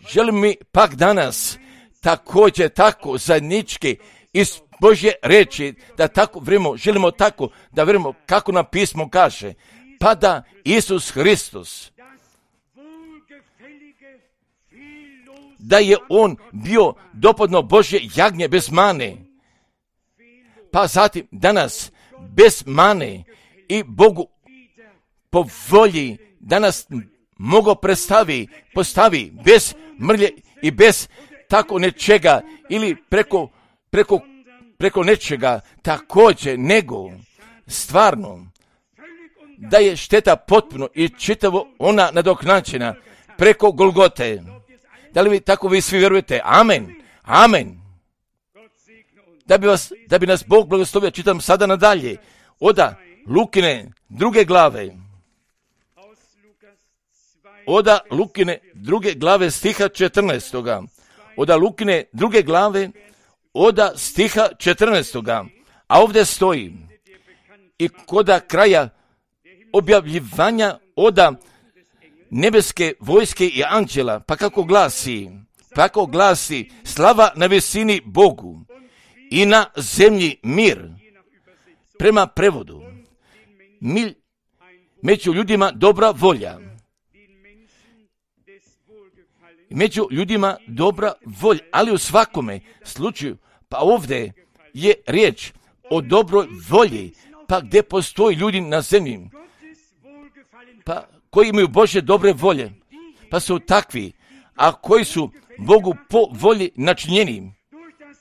želim mi pak danas također tako zajednički iz Božje reči, da tako vremo, želimo tako da vremo kako nam pismo kaže, pa da Isus Hristos, da je on bio dopadno Božje jagnje bez mane, pa zatim danas bez mane i Bogu po volji danas mogo predstavi, postavi bez mrlje i bez tako nečega ili preko, preko, preko nečega također nego stvarno da je šteta potpuno i čitavo ona nadoknađena preko Golgote. Da li vi tako vi svi vjerujete? Amen. Amen. Da bi, vas, da bi nas Bog blagoslovio, čitam sada nadalje. Oda Lukine druge glave. Oda Lukine druge glave stiha četrnaestoga. Oda Lukine druge glave, oda stiha četrnaestoga. A ovdje stoji i koda kraja objavljivanja oda nebeske vojske i anđela, pa kako glasi, pa kako glasi, slava na visini Bogu i na zemlji mir. Prema prevodu, mil, među ljudima dobra volja. Među ljudima dobra volja, ali u svakome slučaju, pa ovdje je riječ o dobroj volji, pa gdje postoji ljudi na zemlji, pa koji imaju Božje dobre volje, pa su takvi, a koji su Bogu po volji načinjeni,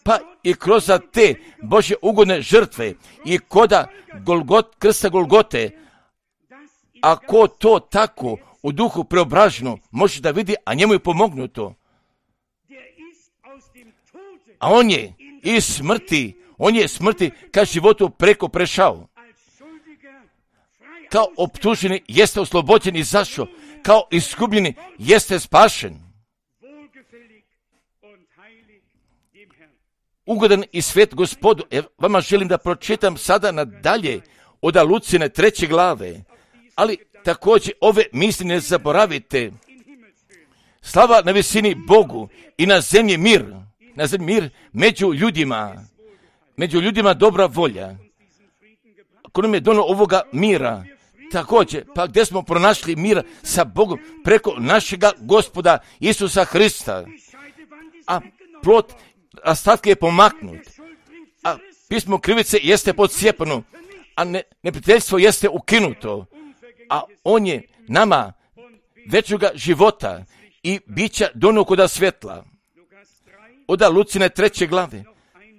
pa i kroz te Božje ugodne žrtve i koda Golgot, krsta Golgote, ako to tako u duhu preobraženo može da vidi, a njemu je pomognuto. A on je iz smrti, on je smrti ka životu preko prešao. Kao optuženi jeste oslobođen i zašao, kao izgubljeni jeste spašen. Ugodan i svet Gospodu, evo vama želim da pročitam sada nadalje od Lucine treće glave, ali također ove misli ne zaboravite. Slava na visini Bogu i na zemlji mir, na zemlji mir među ljudima, među ljudima dobra volja. Ko nam je donio ovoga mira, također, pa gdje smo pronašli mira sa Bogom preko našega Gospoda Isusa Hrista, a plot rastavke je pomaknut, a pismo krivice jeste podsjepano, a ne, neprijateljstvo jeste ukinuto, a on je nama većega života i bića donio koda svjetla. Oda Lucine treće glave,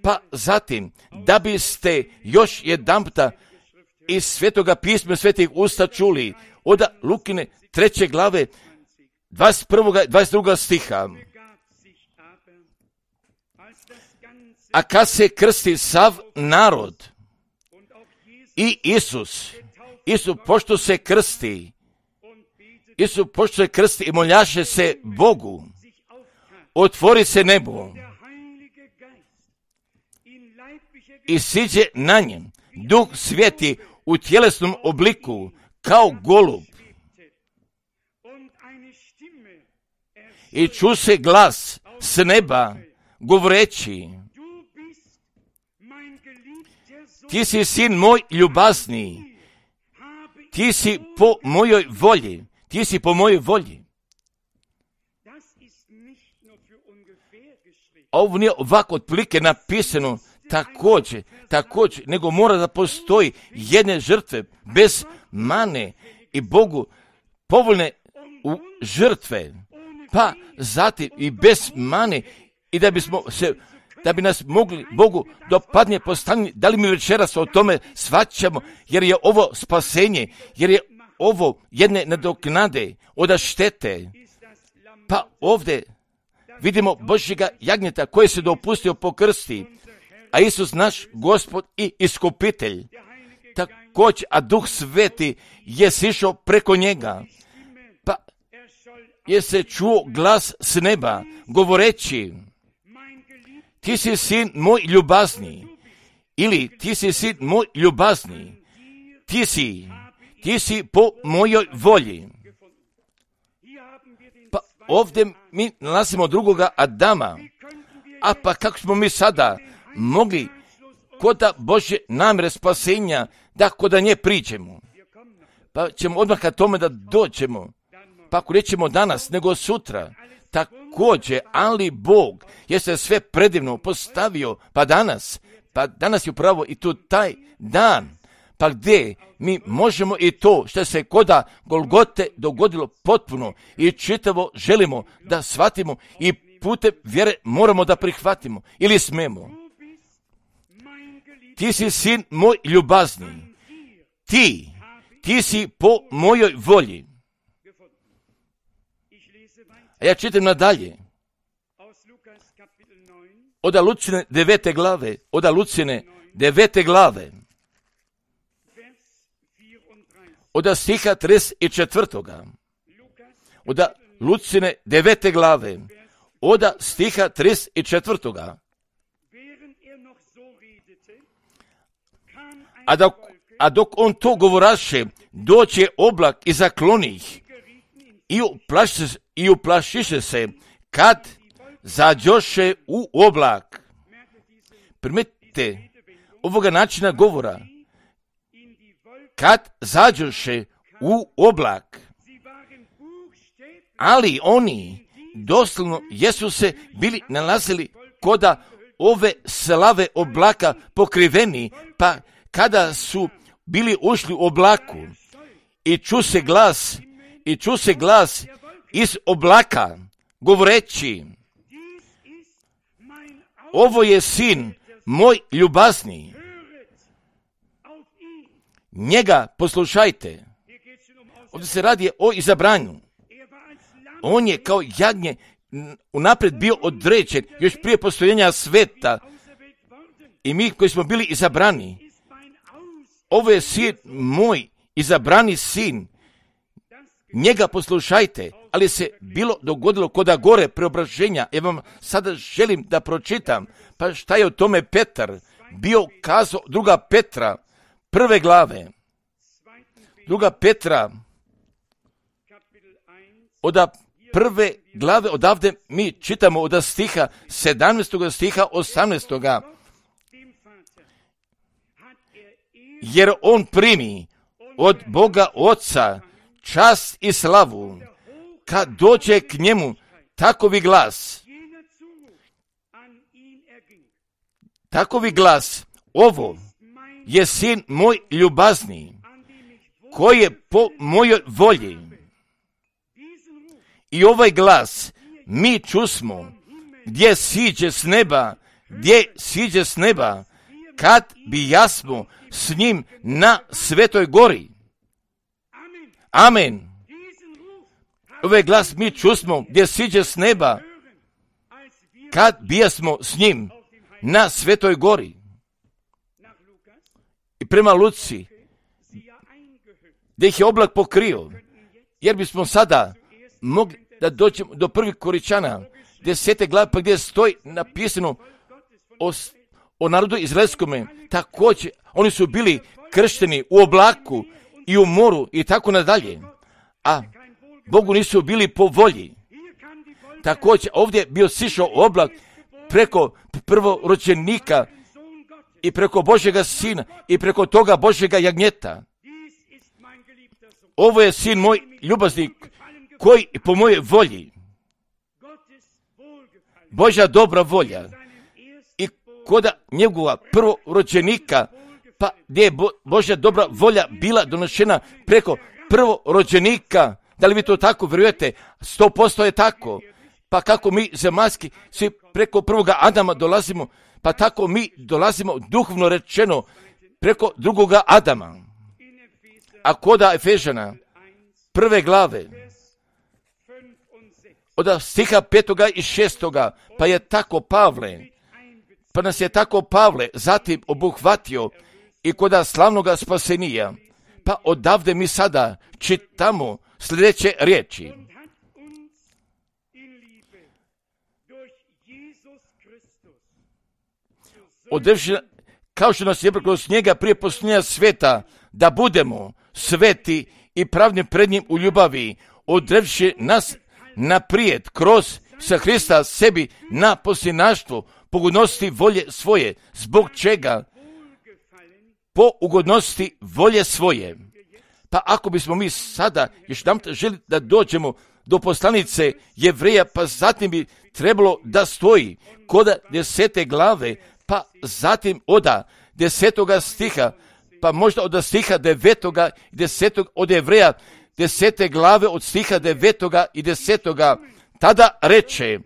pa zatim, da biste još jedanputa iz Svetoga pisma svetih usta čuli, oda Lukine treće glave, dvadeset prvog i dvadeset drugog stiha. A kad se krsti sav narod i Isus, Isus pošto se krsti, Isus pošto se krsti i moljaše se Bogu, otvori se nebo i siđe na njem Duh Sveti u tjelesnom obliku kao golub. I ču se glas s neba govoreći: ti si sin moj ljubazni, ti si po mojoj volji, ti si po mojoj volji. Ovo nije ovako otprilike napisano također, također, nego mora da postoji jedne žrtve bez mane i Bogu povoljne u žrtve, pa zatim i bez mane, i da bismo se, da bi nas mogli Bogu dopadnije postaviti. Da li mi večeras o tome shvaćamo, jer je ovo spasenje, jer je ovo jedne nadoknade od štete. Pa ovdje vidimo Božjega jagnjeta koji se dopustio po krsti, a Isus naš Gospod i iskupitelj. Također, a Duh Sveti je sišao preko njega. Pa je se čuo glas s neba govoreći: ti si sin moj ljubazni ili ti si sin moj ljubazni, ti si, ti si po mojoj volji. Pa ovdje mi nalazimo drugoga Adama, a pa kako smo mi sada mogli koda Božje namjere spasenja da koda nje priđemo? Pa ćemo odmah ka tome da dođemo, pa ako nećemo danas nego sutra, također, ali Bog je se sve predivno postavio, pa danas, pa danas je upravo i tu taj dan, pa gdje mi možemo i to što se koda Golgote dogodilo potpuno i čitavo želimo da shvatimo i putem vjere moramo da prihvatimo ili smemo. Ti si sin moj ljubazni, ti, ti si po mojoj volji. A ja čitam nadalje. Oda Lucine devete glave, oda Lucine devete glave, oda stiha trideset četvrtoga. Oda Lucine devete glave, oda stiha trideset četvrtoga. A dok, a dok on to govoraše, doće oblak i zakloni ih i uplašiše, i uplašiše se kad zađoše u oblak. Primetite ovoga načina govora. Kad zađoše u oblak. Ali oni doslovno jesu se bili nalazili koda ove slave oblaka pokriveni, pa kada su bili ušli u oblaku i ču se glas, i ču se glas iz oblaka govoreći, ovo je sin moj ljubazni, njega poslušajte. Ovdje se radi o izabranju. On je kao jagnje unaprijed bio određen još prije postojenja sveta i mi koji smo bili izabrani, ovo je sin moj, izabrani sin, njega poslušajte, ali se bilo dogodilo koda gore preobraženja. Ja vam sada želim da pročitam, pa šta je o tome Petar bio kazao, druga Petra, prve glave, druga Petra, oda prve glave, odavde mi čitamo od stiha sedamnaestog stiha osamnaestog Jer on primi od Boga Oca čast i slavu, kad dođe k njemu takovi glas, takovi glas, ovo je sin moj ljubazni, koji je po mojoj volji. I ovaj glas mi čusmo, gdje siđe s neba, gdje siđe s neba, kad bi jasmo s njim na Svetoj gori. Amen. Ovaj glas mi čusmo, gdje siđe s neba, kad bijasmo s njim na Svetoj gori. I prema Luci, gdje ih je oblak pokrio, jer bismo sada mogli da dođemo do prvih Koričana, desete glave, pa gdje stoji napisano o, o narodu izraelskome, također, oni su bili kršteni u oblaku i u moru i tako nadalje, a Bogu nisu bili po volji. Također, ovdje je bio sišao oblak preko prvorođenika i preko Božjega sina i preko toga Božjega jagnjeta. Ovo je sin moj ljubazni, koji po mojoj volji, Božja dobra volja, i koda njegova prvorođenika, pa gdje je Bo, Božja dobra volja bila donošena preko prvorođenika. Da li vi to tako vjerujete? Sto posto je tako. Pa kako mi zemaljski svi preko prvoga Adama dolazimo, pa tako mi dolazimo duhovno rečeno preko drugoga Adama. A koda Efežana prve glave, od stiha petoga i šestoga, pa je tako Pavle, pa nas je tako Pavle zatim obuhvatio i koda slavnoga spasenija, pa odavde mi sada čitamo sljedeće riječi. Održena kao što nas je kroz njega prije posljednja sveta, da budemo sveti i pravni pred njim u ljubavi, odrevši nas naprijed kroz sa Hrista sebi na posljednaštvo pogodnosti volje svoje, zbog čega po ugodnosti volje svoje. Pa ako bismo mi sada još nam želi da dođemo do poslanice Jevreja, pa zatim bi trebalo da stoji kod desete glave, pa zatim oda desetoga stiha, pa možda od stiha devetoga i desetog od Jevreja, desete glave od stiha devetoga i desetoga, tada reče,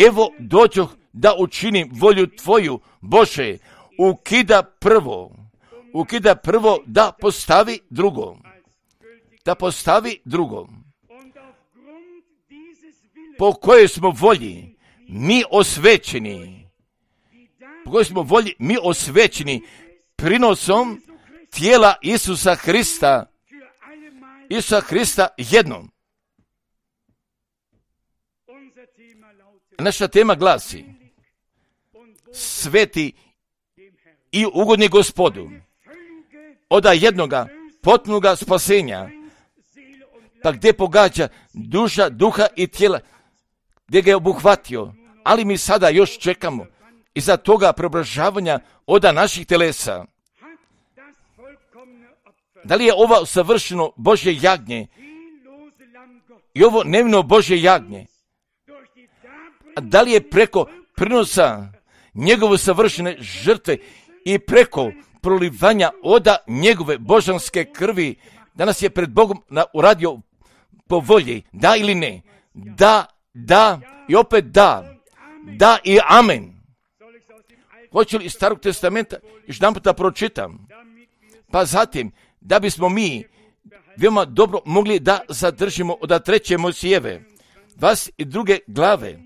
evo dođoh da učinim volju tvoju, Bože, ukida prvo, ukida prvo da postavi drugo, da postavi drugo, po kojoj smo volji mi osvećeni, po kojoj smo volji mi osvećeni prinosom tijela Isusa Hrista, Isusa Hrista jednom. Naša tema glasi, sveti i ugodni Gospodu, oda jednoga potpunoga spasenja, pa gdje pogađa duša, duha i tijela, gdje ga je obuhvatio, ali mi sada još čekamo iza toga preobražavanja oda naših telesa. Da li je ovo savršeno Božje jagnje i ovo nevino Božje jagnje? A da li je preko prinosa njegove savršene žrtve i preko prolivanja oda njegove božanske krvi danas je pred Bogom uradio po volji, da ili ne? Da, da i opet da, da i amen. Hoće li iz Starog testamenta još jedan puta pročitam? Pa zatim, da bismo mi veoma dobro mogli da zadržimo od treće Mojsijeve, dvadeset druge glave,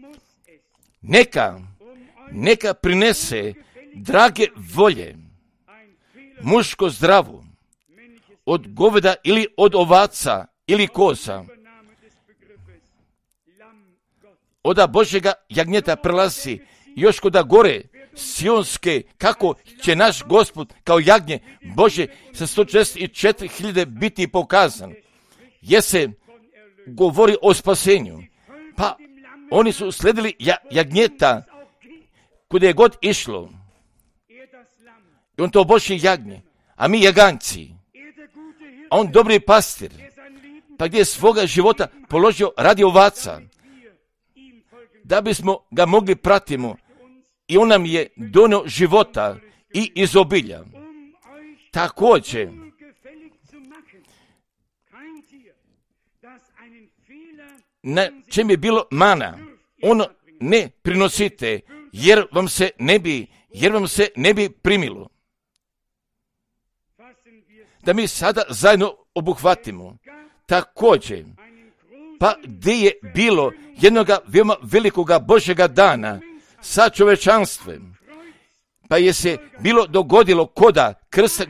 neka, neka prinese drage volje, muško zdravu, od goveda ili od ovaca ili koza, oda Božjega jagnjeta prelazi još koda gore sionske, kako će naš Gospod kao jagnje Bože sa sto četrdeset četiri hiljade biti pokazan. Jer se govori o spasenju. Pa oni su sledili ja, jagnjeta kuda je god išlo. I on to Božje jagnje, a mi jaganci. A on dobri pastir, pa gdje je svoga života položio radi ovaca, da bismo ga mogli pratimo. I on nam je donio života i izobilja. Također, na čem je bilo mana, ono ne prinosite, jer vam se ne bi, jer vam se ne bi primilo. Da mi sada zajedno obuhvatimo. Također, pa gdje je bilo jednoga veoma velikoga Božjega dana sa čovečanstvem, pa je se bilo dogodilo koda krsta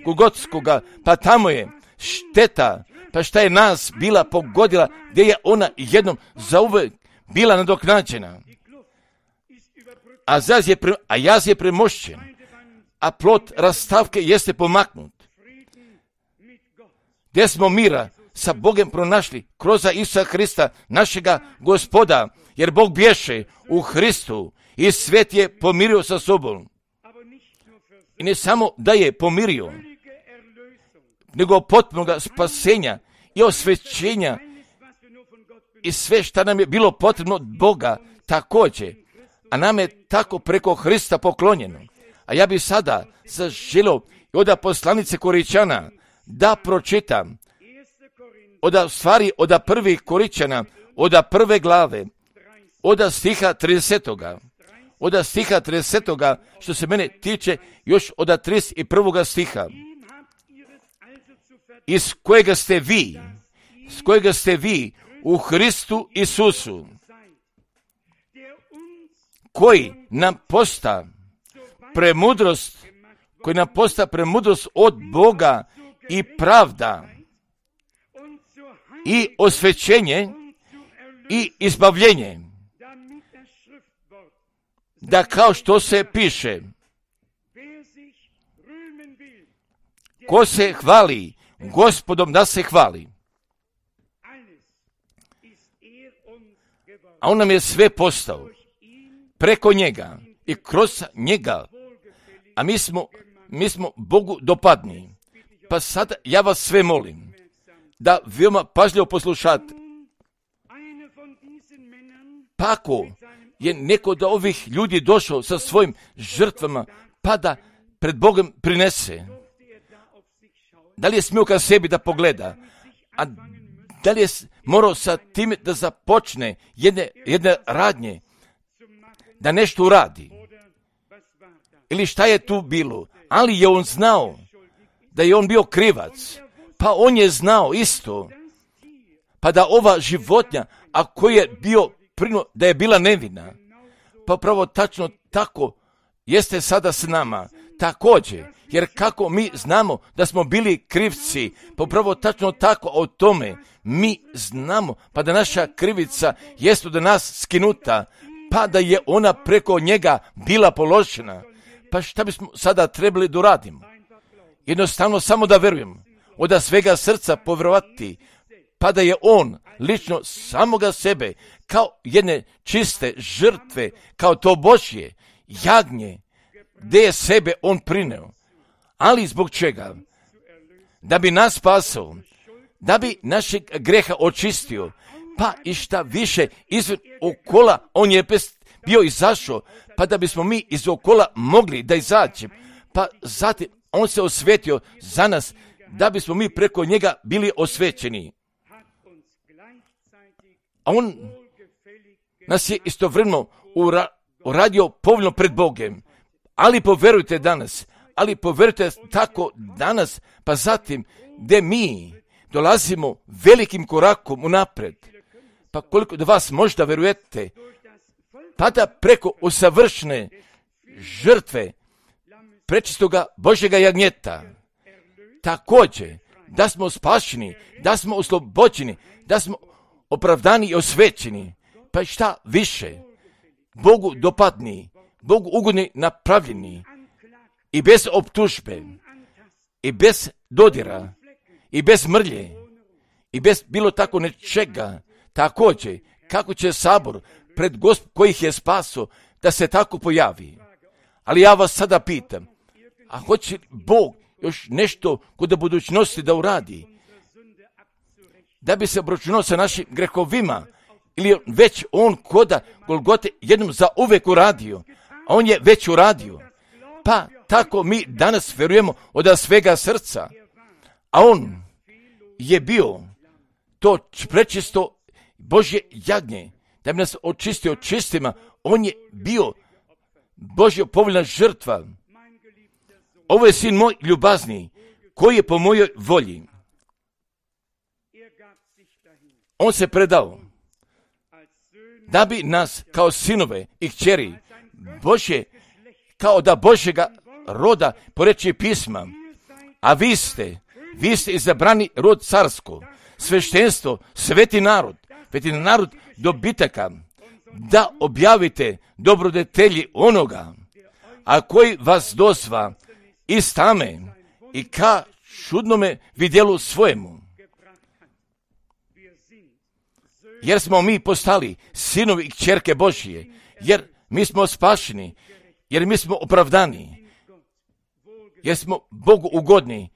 Golgotskoga, pa tamo je šteta, pa šta je nas bila pogodila, gdje je ona jednom zauvek bila nadoknađena. A, je pre, a jaz je premošćen, a plot rastavke jeste pomaknut. Gdje smo mira sa Bogom pronašli kroz Isusa Hrista, našega Gospoda, jer Bog bješe u Hristu i svet je pomirio sa sobom. I ne samo da je pomirio, nego potpunoga spasenja i osvećenja i sve što nam je bilo potrebno od Boga također, a nam je tako preko Hrista poklonjeno. A ja bi sada zaželio od poslanice Koričana da pročitam od stvari od prvih Koričana, od prve glave, od stiha tridesetoga, od stiha tridesetoga, što se mene tiče, još od trideset prvoga stiha, iz kojega ste vi, s kojega ste vi u Hristu Isusu, koji nam posta premudrost, koji nam posta premudrost od Boga i pravda i osvećenje i izbavljenje, da kao što se piše, ko se hvali Gospodom, da se hvali. A on nam je sve postao preko njega i kroz njega, a mi smo, mi smo Bogu dopadni. Pa sad ja vas sve molim da veoma pažljivo poslušate. Pa ako je neko od ovih ljudi došao sa svojim žrtvama, pa da pred Bogom prinese, da li je smio ka sebi da pogleda, a da li je morao sa time da započne jedne, jedne radnje, da nešto uradi, ili šta je tu bilo, ali je on znao da je on bio krivac, pa on je znao isto, pa da ova životinja, ako je bio prino, da je bila nevina, pa pravo tačno tako jeste sada s nama, također, jer kako mi znamo da smo bili krivci, pa pravo tačno tako o tome mi znamo, pa da naša krivica jest od nas skinuta, pa da je ona preko njega bila položena. Pa šta bismo sada trebali da uradimo? Jednostavno samo da verujem, od svega srca povjerovati, pa da je on lično samoga sebe kao jedne čiste žrtve, kao to Božje jagnje, gdje je sebe on prineo. Ali zbog čega? Da bi nas spasao, da bi našeg greha očistio, pa i šta više izvan okola on je bio izašao, pa da bismo mi iz okola mogli da izađemo, pa zatim on se osvetio za nas, da bismo mi preko njega bili osvećeni. A on nas je istovremeno ura, uradio povoljno pred Bogom, ali poverujte danas, ali poverujte tako danas, pa zatim gdje mi dolazimo velikim korakom unapred, pa koliko da vas možda verujete, pa da preko usavršene žrtve prečistoga Božjega jagnjeta, također da smo spašeni, da smo oslobođeni, da smo opravdani i osvećeni, pa šta više, Bogu dopadni, Bogu ugodni napravljeni, i bez optužbe, i bez dodira, i bez mrlje, i bez bilo tako nečega, također, kako će sabor pred Gospod kojih je spaso, da se tako pojavi. Ali ja vas sada pitam, a hoće Bog još nešto kod budućnosti da uradi, da bi se obračunao sa našim grehovima, ili već on koda Golgote jednom za uvek uradio, a on je već uradio. Pa tako mi danas verujemo od svega srca, a on je bio to prečisto Božje jagnje, da bi nas očistio čistima, on je bio Božja povoljna žrtva. Ovo je sin moj ljubazni, koji je po mojoj volji. On se predao, da bi nas kao sinove i kćeri Božje, kao da Božjega roda po reči pisma, a vi ste, vi ste izabrani rod carsko, sveštenstvo, sveti narod, sveti narod dobitaka, da objavite dobrodetelji onoga, a koji vas dozva iz tame i ka čudnome vidjelu svojemu. Jer smo mi postali sinovi i kćerke Božije, jer mi smo spašeni, jer mi smo opravdani, jer smo Bogu ugodni,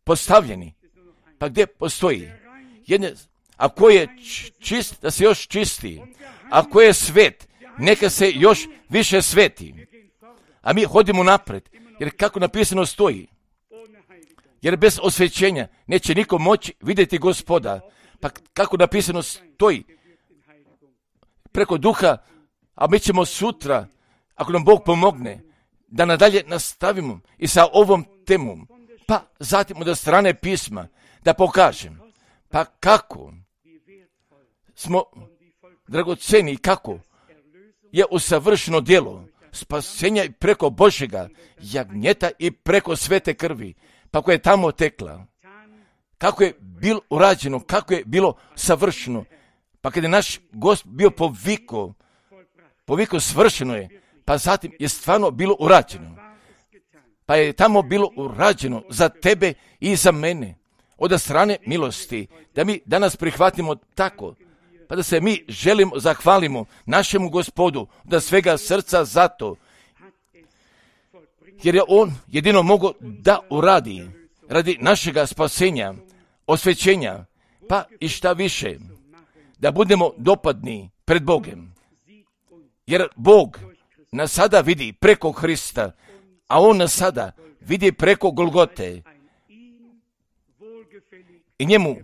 postavljeni. Pa gdje postoji jedne, ako je čist, da se još čisti, ako je svet, neka se još više sveti. A mi hodimo napred, jer kako napisano stoji, jer bez osvećenja neće niko moći vidjeti Gospoda. Pa kako napisano stoji, preko duha, a mi ćemo sutra, ako nam Bog pomogne, da nadalje nastavimo i sa ovom temom, pa zatim od strane pisma, da pokažem, pa kako smo dragoceni i kako je usavršeno djelo spasenja i preko Božjega jagnjeta i preko svete krvi, pa koje je tamo tekla, kako je bilo urađeno, kako je bilo savršeno, pa kada je naš Gospod bio poviko, poviko svršeno je, pa zatim je stvarno bilo urađeno. pa je tamo bilo urađeno za tebe i za mene, od strane milosti, da mi danas prihvatimo tako, pa da se mi želimo, zahvalimo našemu Gospodu da svega srca za to, jer je on jedino mogo da uradi radi našega spasenja, osvećenja, pa i šta više, da budemo dopadni pred Bogem. Jer Bog nas sada vidi preko Hrista, a on nas sada vidi preko Golgote. I njemu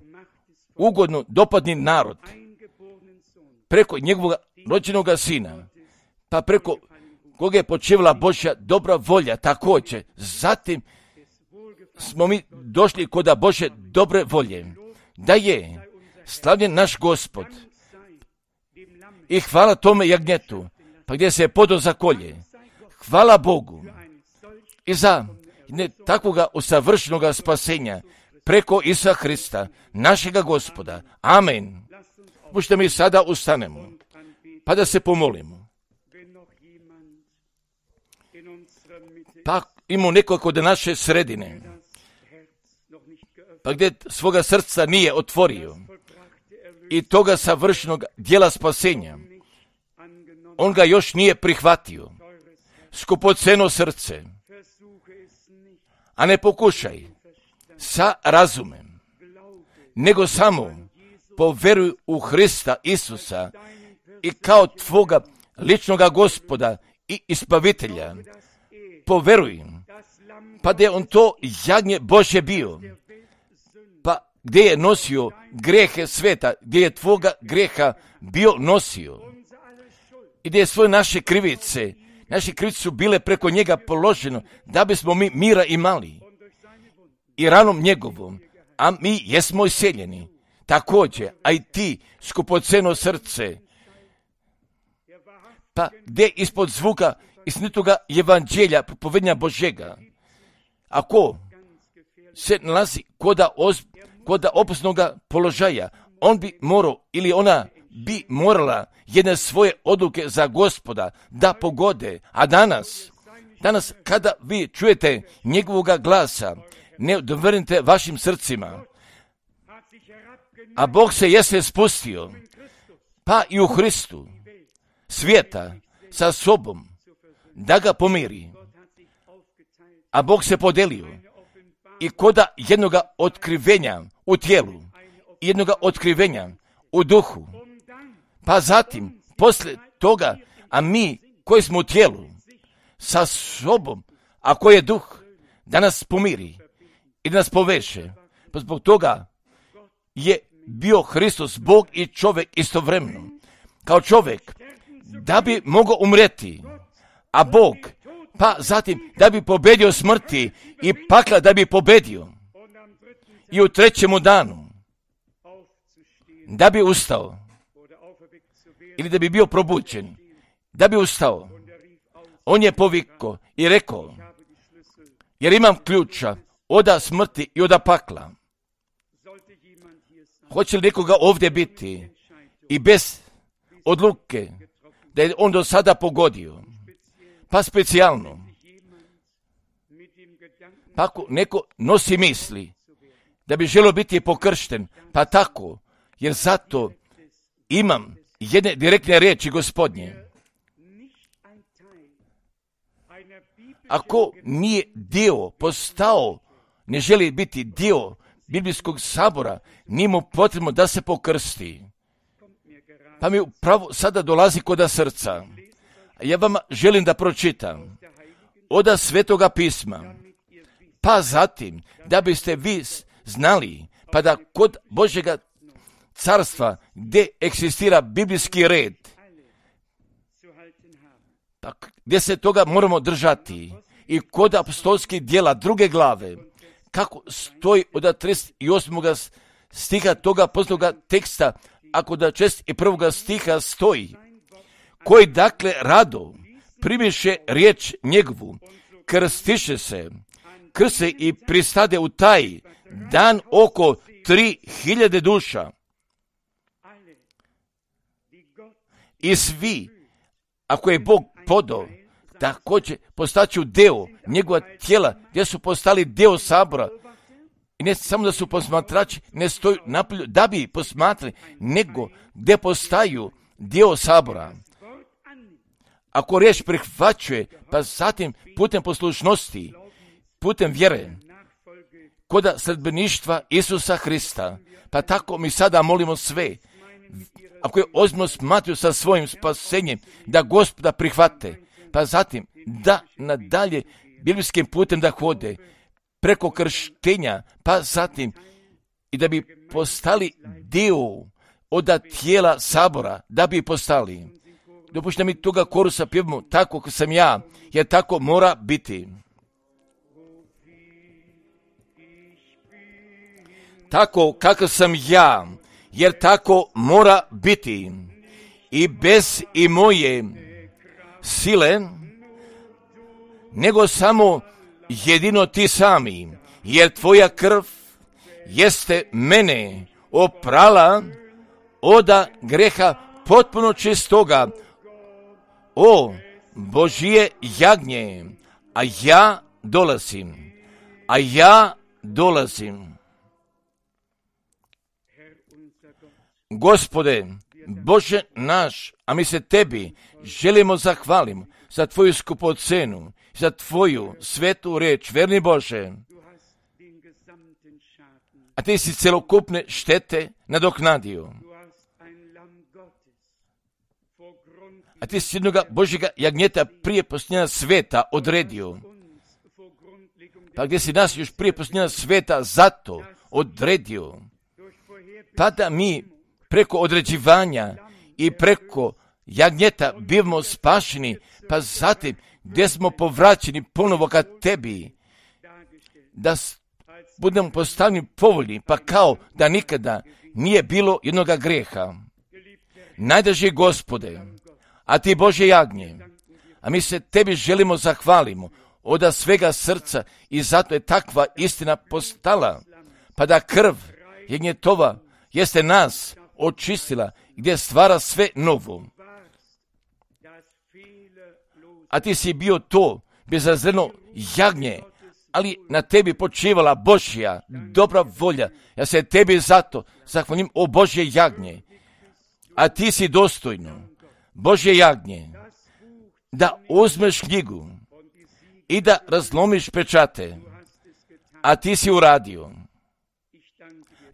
ugodno dopadni narod, preko njegovog rođenog sina, pa preko koga je počevala Božja dobra volja također. Zatim smo mi došli kod Božje dobre volje, da je slavljen naš Gospod. I hvala tome jagnjetu, pa gdje se je podao za kolje. Hvala Bogu i za ne takvoga usavršenoga spasenja preko Isusa Hrista, našega Gospoda. Amen. Možete mi sada ustanemo, pa da se pomolimo. Pa imamo neko kod naše sredine, pa gdje svoga srca nije otvorio i toga savršenog djela spasenja, on ga još nije prihvatio. Skupoceno srce, a ne pokušaj sa razumem, nego samo poveruj u Hrista Isusa i kao tvoga ličnoga Gospoda i Ispavitelja. Poveruj, pa da je on to jagnje Božje bio, pa gdje je nosio grehe sveta, gdje je tvoga greha bio nosio i gdje je svoje naše krivice, naše krivice su bile preko njega položeno, da bismo mi mira imali i ranom njegovom, a mi jesmo iseljeni. Također, a i ti, skupoceno srce, pa gdje ispod zvuka istinitoga evanđelja, propovednja Božega, ako se nalazi koda, os, koda opasnoga položaja, on bi morao ili ona bi morala jedne svoje odluke za Gospoda da pogode. A danas, danas kada vi čujete njegovoga glasa, ne odvrnite vašim srcima, a Bog se jeste spustio, pa i u Hristu, svijeta sa sobom, da ga pomiri. A Bog se podelio i koda jednoga otkrivenja u tijelu, jednoga otkrivenja u duhu. Pa zatim, poslije toga, a mi koji smo u tijelu, sa sobom, a koji je duh, da nas pomiri i da nas poveže. Pa zbog toga je bio Hristos Bog i čovjek istovremeno. Kao čovjek, da bi mogao umreti, a Bog, pa zatim da bi pobedio smrti i pakla da bi pobedio. I u trećemu danu da bi ustao, ili da bi bio probuđen, da bi ustao. On je povikao i rekao, jer imam ključa oda smrti i oda pakla. Hoće li nekoga ovdje biti i bez odluke da je on do sada pogodio, pa specijalno, pa ako neko nosi misli da bi želio biti pokršten, pa tako, jer zato imam jedne direktne riječi Gospodnje. Ako nije dio postao, ne želi biti dio biblijskog sabora, nije mu potrebno da se pokrsti. Pa mi upravo sada dolazi koda srca. Ja vam želim da pročitam oda Svetoga pisma, pa zatim da biste vi znali, pa da kod Božjega carstva gdje eksistira biblijski red, pa gdje se toga moramo držati, i kod apostolskih djela druge glave, kako stoji od trideset osmog stiha toga apostolskoga teksta, ako da čest i prvoga stiha stoji, koji dakle rado primiše riječ njegovu, krstiše se, krse i pristade u taj dan oko tri hiljade duša. I svi, ako je Bog podao također postaću deo njegova tijela, gdje su postali deo sabora. I ne samo da su posmatrači, ne stoju napolju da bi posmatrali, nego gdje postaju dio sabora. Ako riječ prihvaćuje, pa zatim putem poslušnosti, putem vjere, koda sledbeništva Isusa Hrista, pa tako mi sada molimo sve, ako je ozbiljno smatraju sa svojim spasenjem, da Gospoda prihvate, pa zatim da nadalje biblijskim putem da hode, preko krštenja, pa zatim i da bi postali dio od tijela sabora, da bi postali. Dopušta mi toga korusa pjevamo tako kako sam ja, jer tako mora biti. Tako kako sam ja, jer tako mora biti. I bez i moje sile, nego samo jedino ti sami, jer tvoja krv jeste mene oprala oda greha potpuno čistoga. O Božije jagnje, a ja dolazim, a ja dolazim. Gospode, Bože naš, a mi se tebi želimo zahvalimo za tvoju skupocenu, za tvoju svetu reč, verni Bože. A ti si celokupne štete nadoknadio. A ti si jednoga Božjega jagnjeta prije posljednja sveta odredio. Pa gdje si nas još prije posljednja sveta zato odredio. Pa da mi preko određivanja i preko jagnjeta bivamo spašeni, pa zatim gdje smo povraćeni ponovo ka tebi, da budemo postavljeni povoljni, pa kao da nikada nije bilo jednoga greha. Najdraži Gospode, a ti Bože jagnje, a mi se tebi želimo zahvalimo od svega srca i zato je takva istina postala, pa da krv jagnjetova jeste nas očistila, gdje stvara sve novo. A ti si bio to bezazleno jagnje, ali na tebi počivala Božja dobra volja. Ja se tebi zato zahvalim, o Božje jagnje. A ti si dostojno, Božje jagnje, da uzmeš knjigu i da razlomiš pečate. A ti si uradio.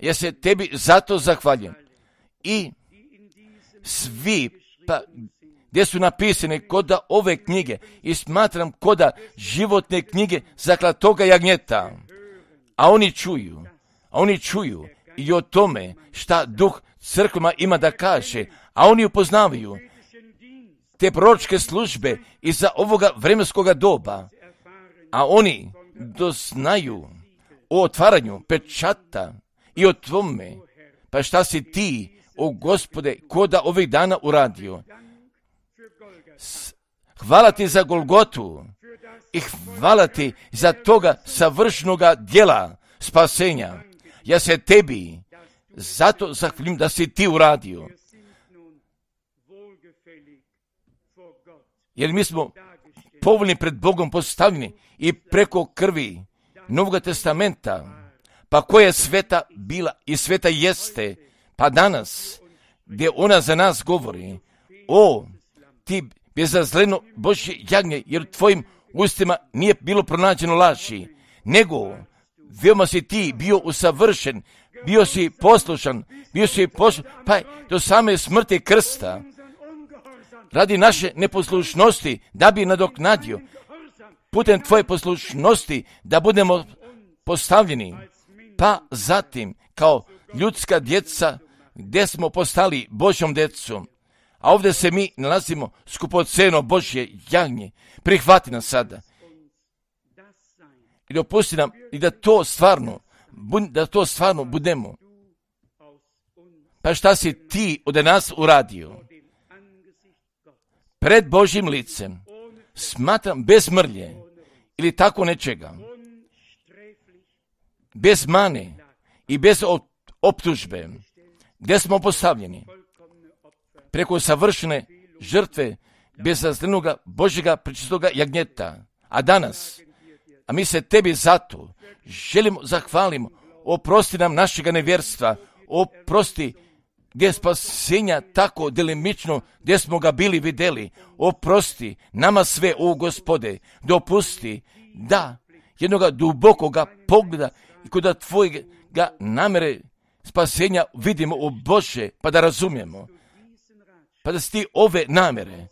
Ja se tebi zato zahvaljujem. I svi, pa gdje su napisane koda ove knjige, i smatram koda životne knjige zaklatoga jagnjeta, a oni čuju, a oni čuju i o tome šta duh crkvama ima da kaže, a oni upoznavaju te proročke službe iza ovoga vremenskoga doba, a oni doznaju o otvaranju pečata i o tome, pa šta si ti, o Gospode, koda ovih dana uradio. Hvala ti za Golgotu i hvala ti za toga savršenoga djela spasenja. Ja se tebi zato zahvalim da si ti uradio. Jer mi smo povoljni pred Bogom postavljeni i preko krvi Novog testamenta, pa koja je sveta bila i sveta jeste, pa danas, gdje ona za nas govori, o, ti bezazleno Božje jagnje, jer u tvojim ustima nije bilo pronađeno laži, nego veoma si ti bio usavršen, bio si poslušan, bio si poslušan, pa do same smrti krsta, radi naše neposlušnosti, da bi nadoknadio, putem tvoje poslušnosti, da budemo postavljeni, pa zatim, kao ljudska djeca, gdje smo postali Božjom djecom, a ovdje se mi nalazimo skupoceno Božje jagnje, prihvati nas sada i dopusti nam i da to stvarno, da to stvarno budemo. Pa šta si ti od nas uradio? Pred Božjim licem, smatram bez mrlje ili tako nečega, bez mane i bez optužbe, gdje smo postavljeni preko savršene žrtve bezazlenoga Božjega prečistoga jagnjeta. A danas, a mi se tebi zato želimo zahvalimo, oprosti nam našega nevjerstva, oprosti gdje je spasenja tako delimično, gdje smo ga bili vidjeli, oprosti nama sve, o Gospode, dopusti da jednoga dubokoga pogleda i kod tvojega namere spasenja vidimo, o Bože, pa da razumijemo, pa da si ti ove namere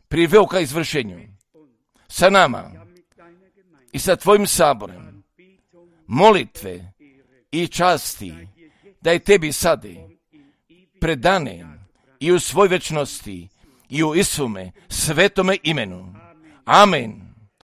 priveo ka izvršenju sa nama i sa tvojim saborem, molitve i časti da je tebi sade predane i u svoj večnosti i u Isume svetome imenu. Amen.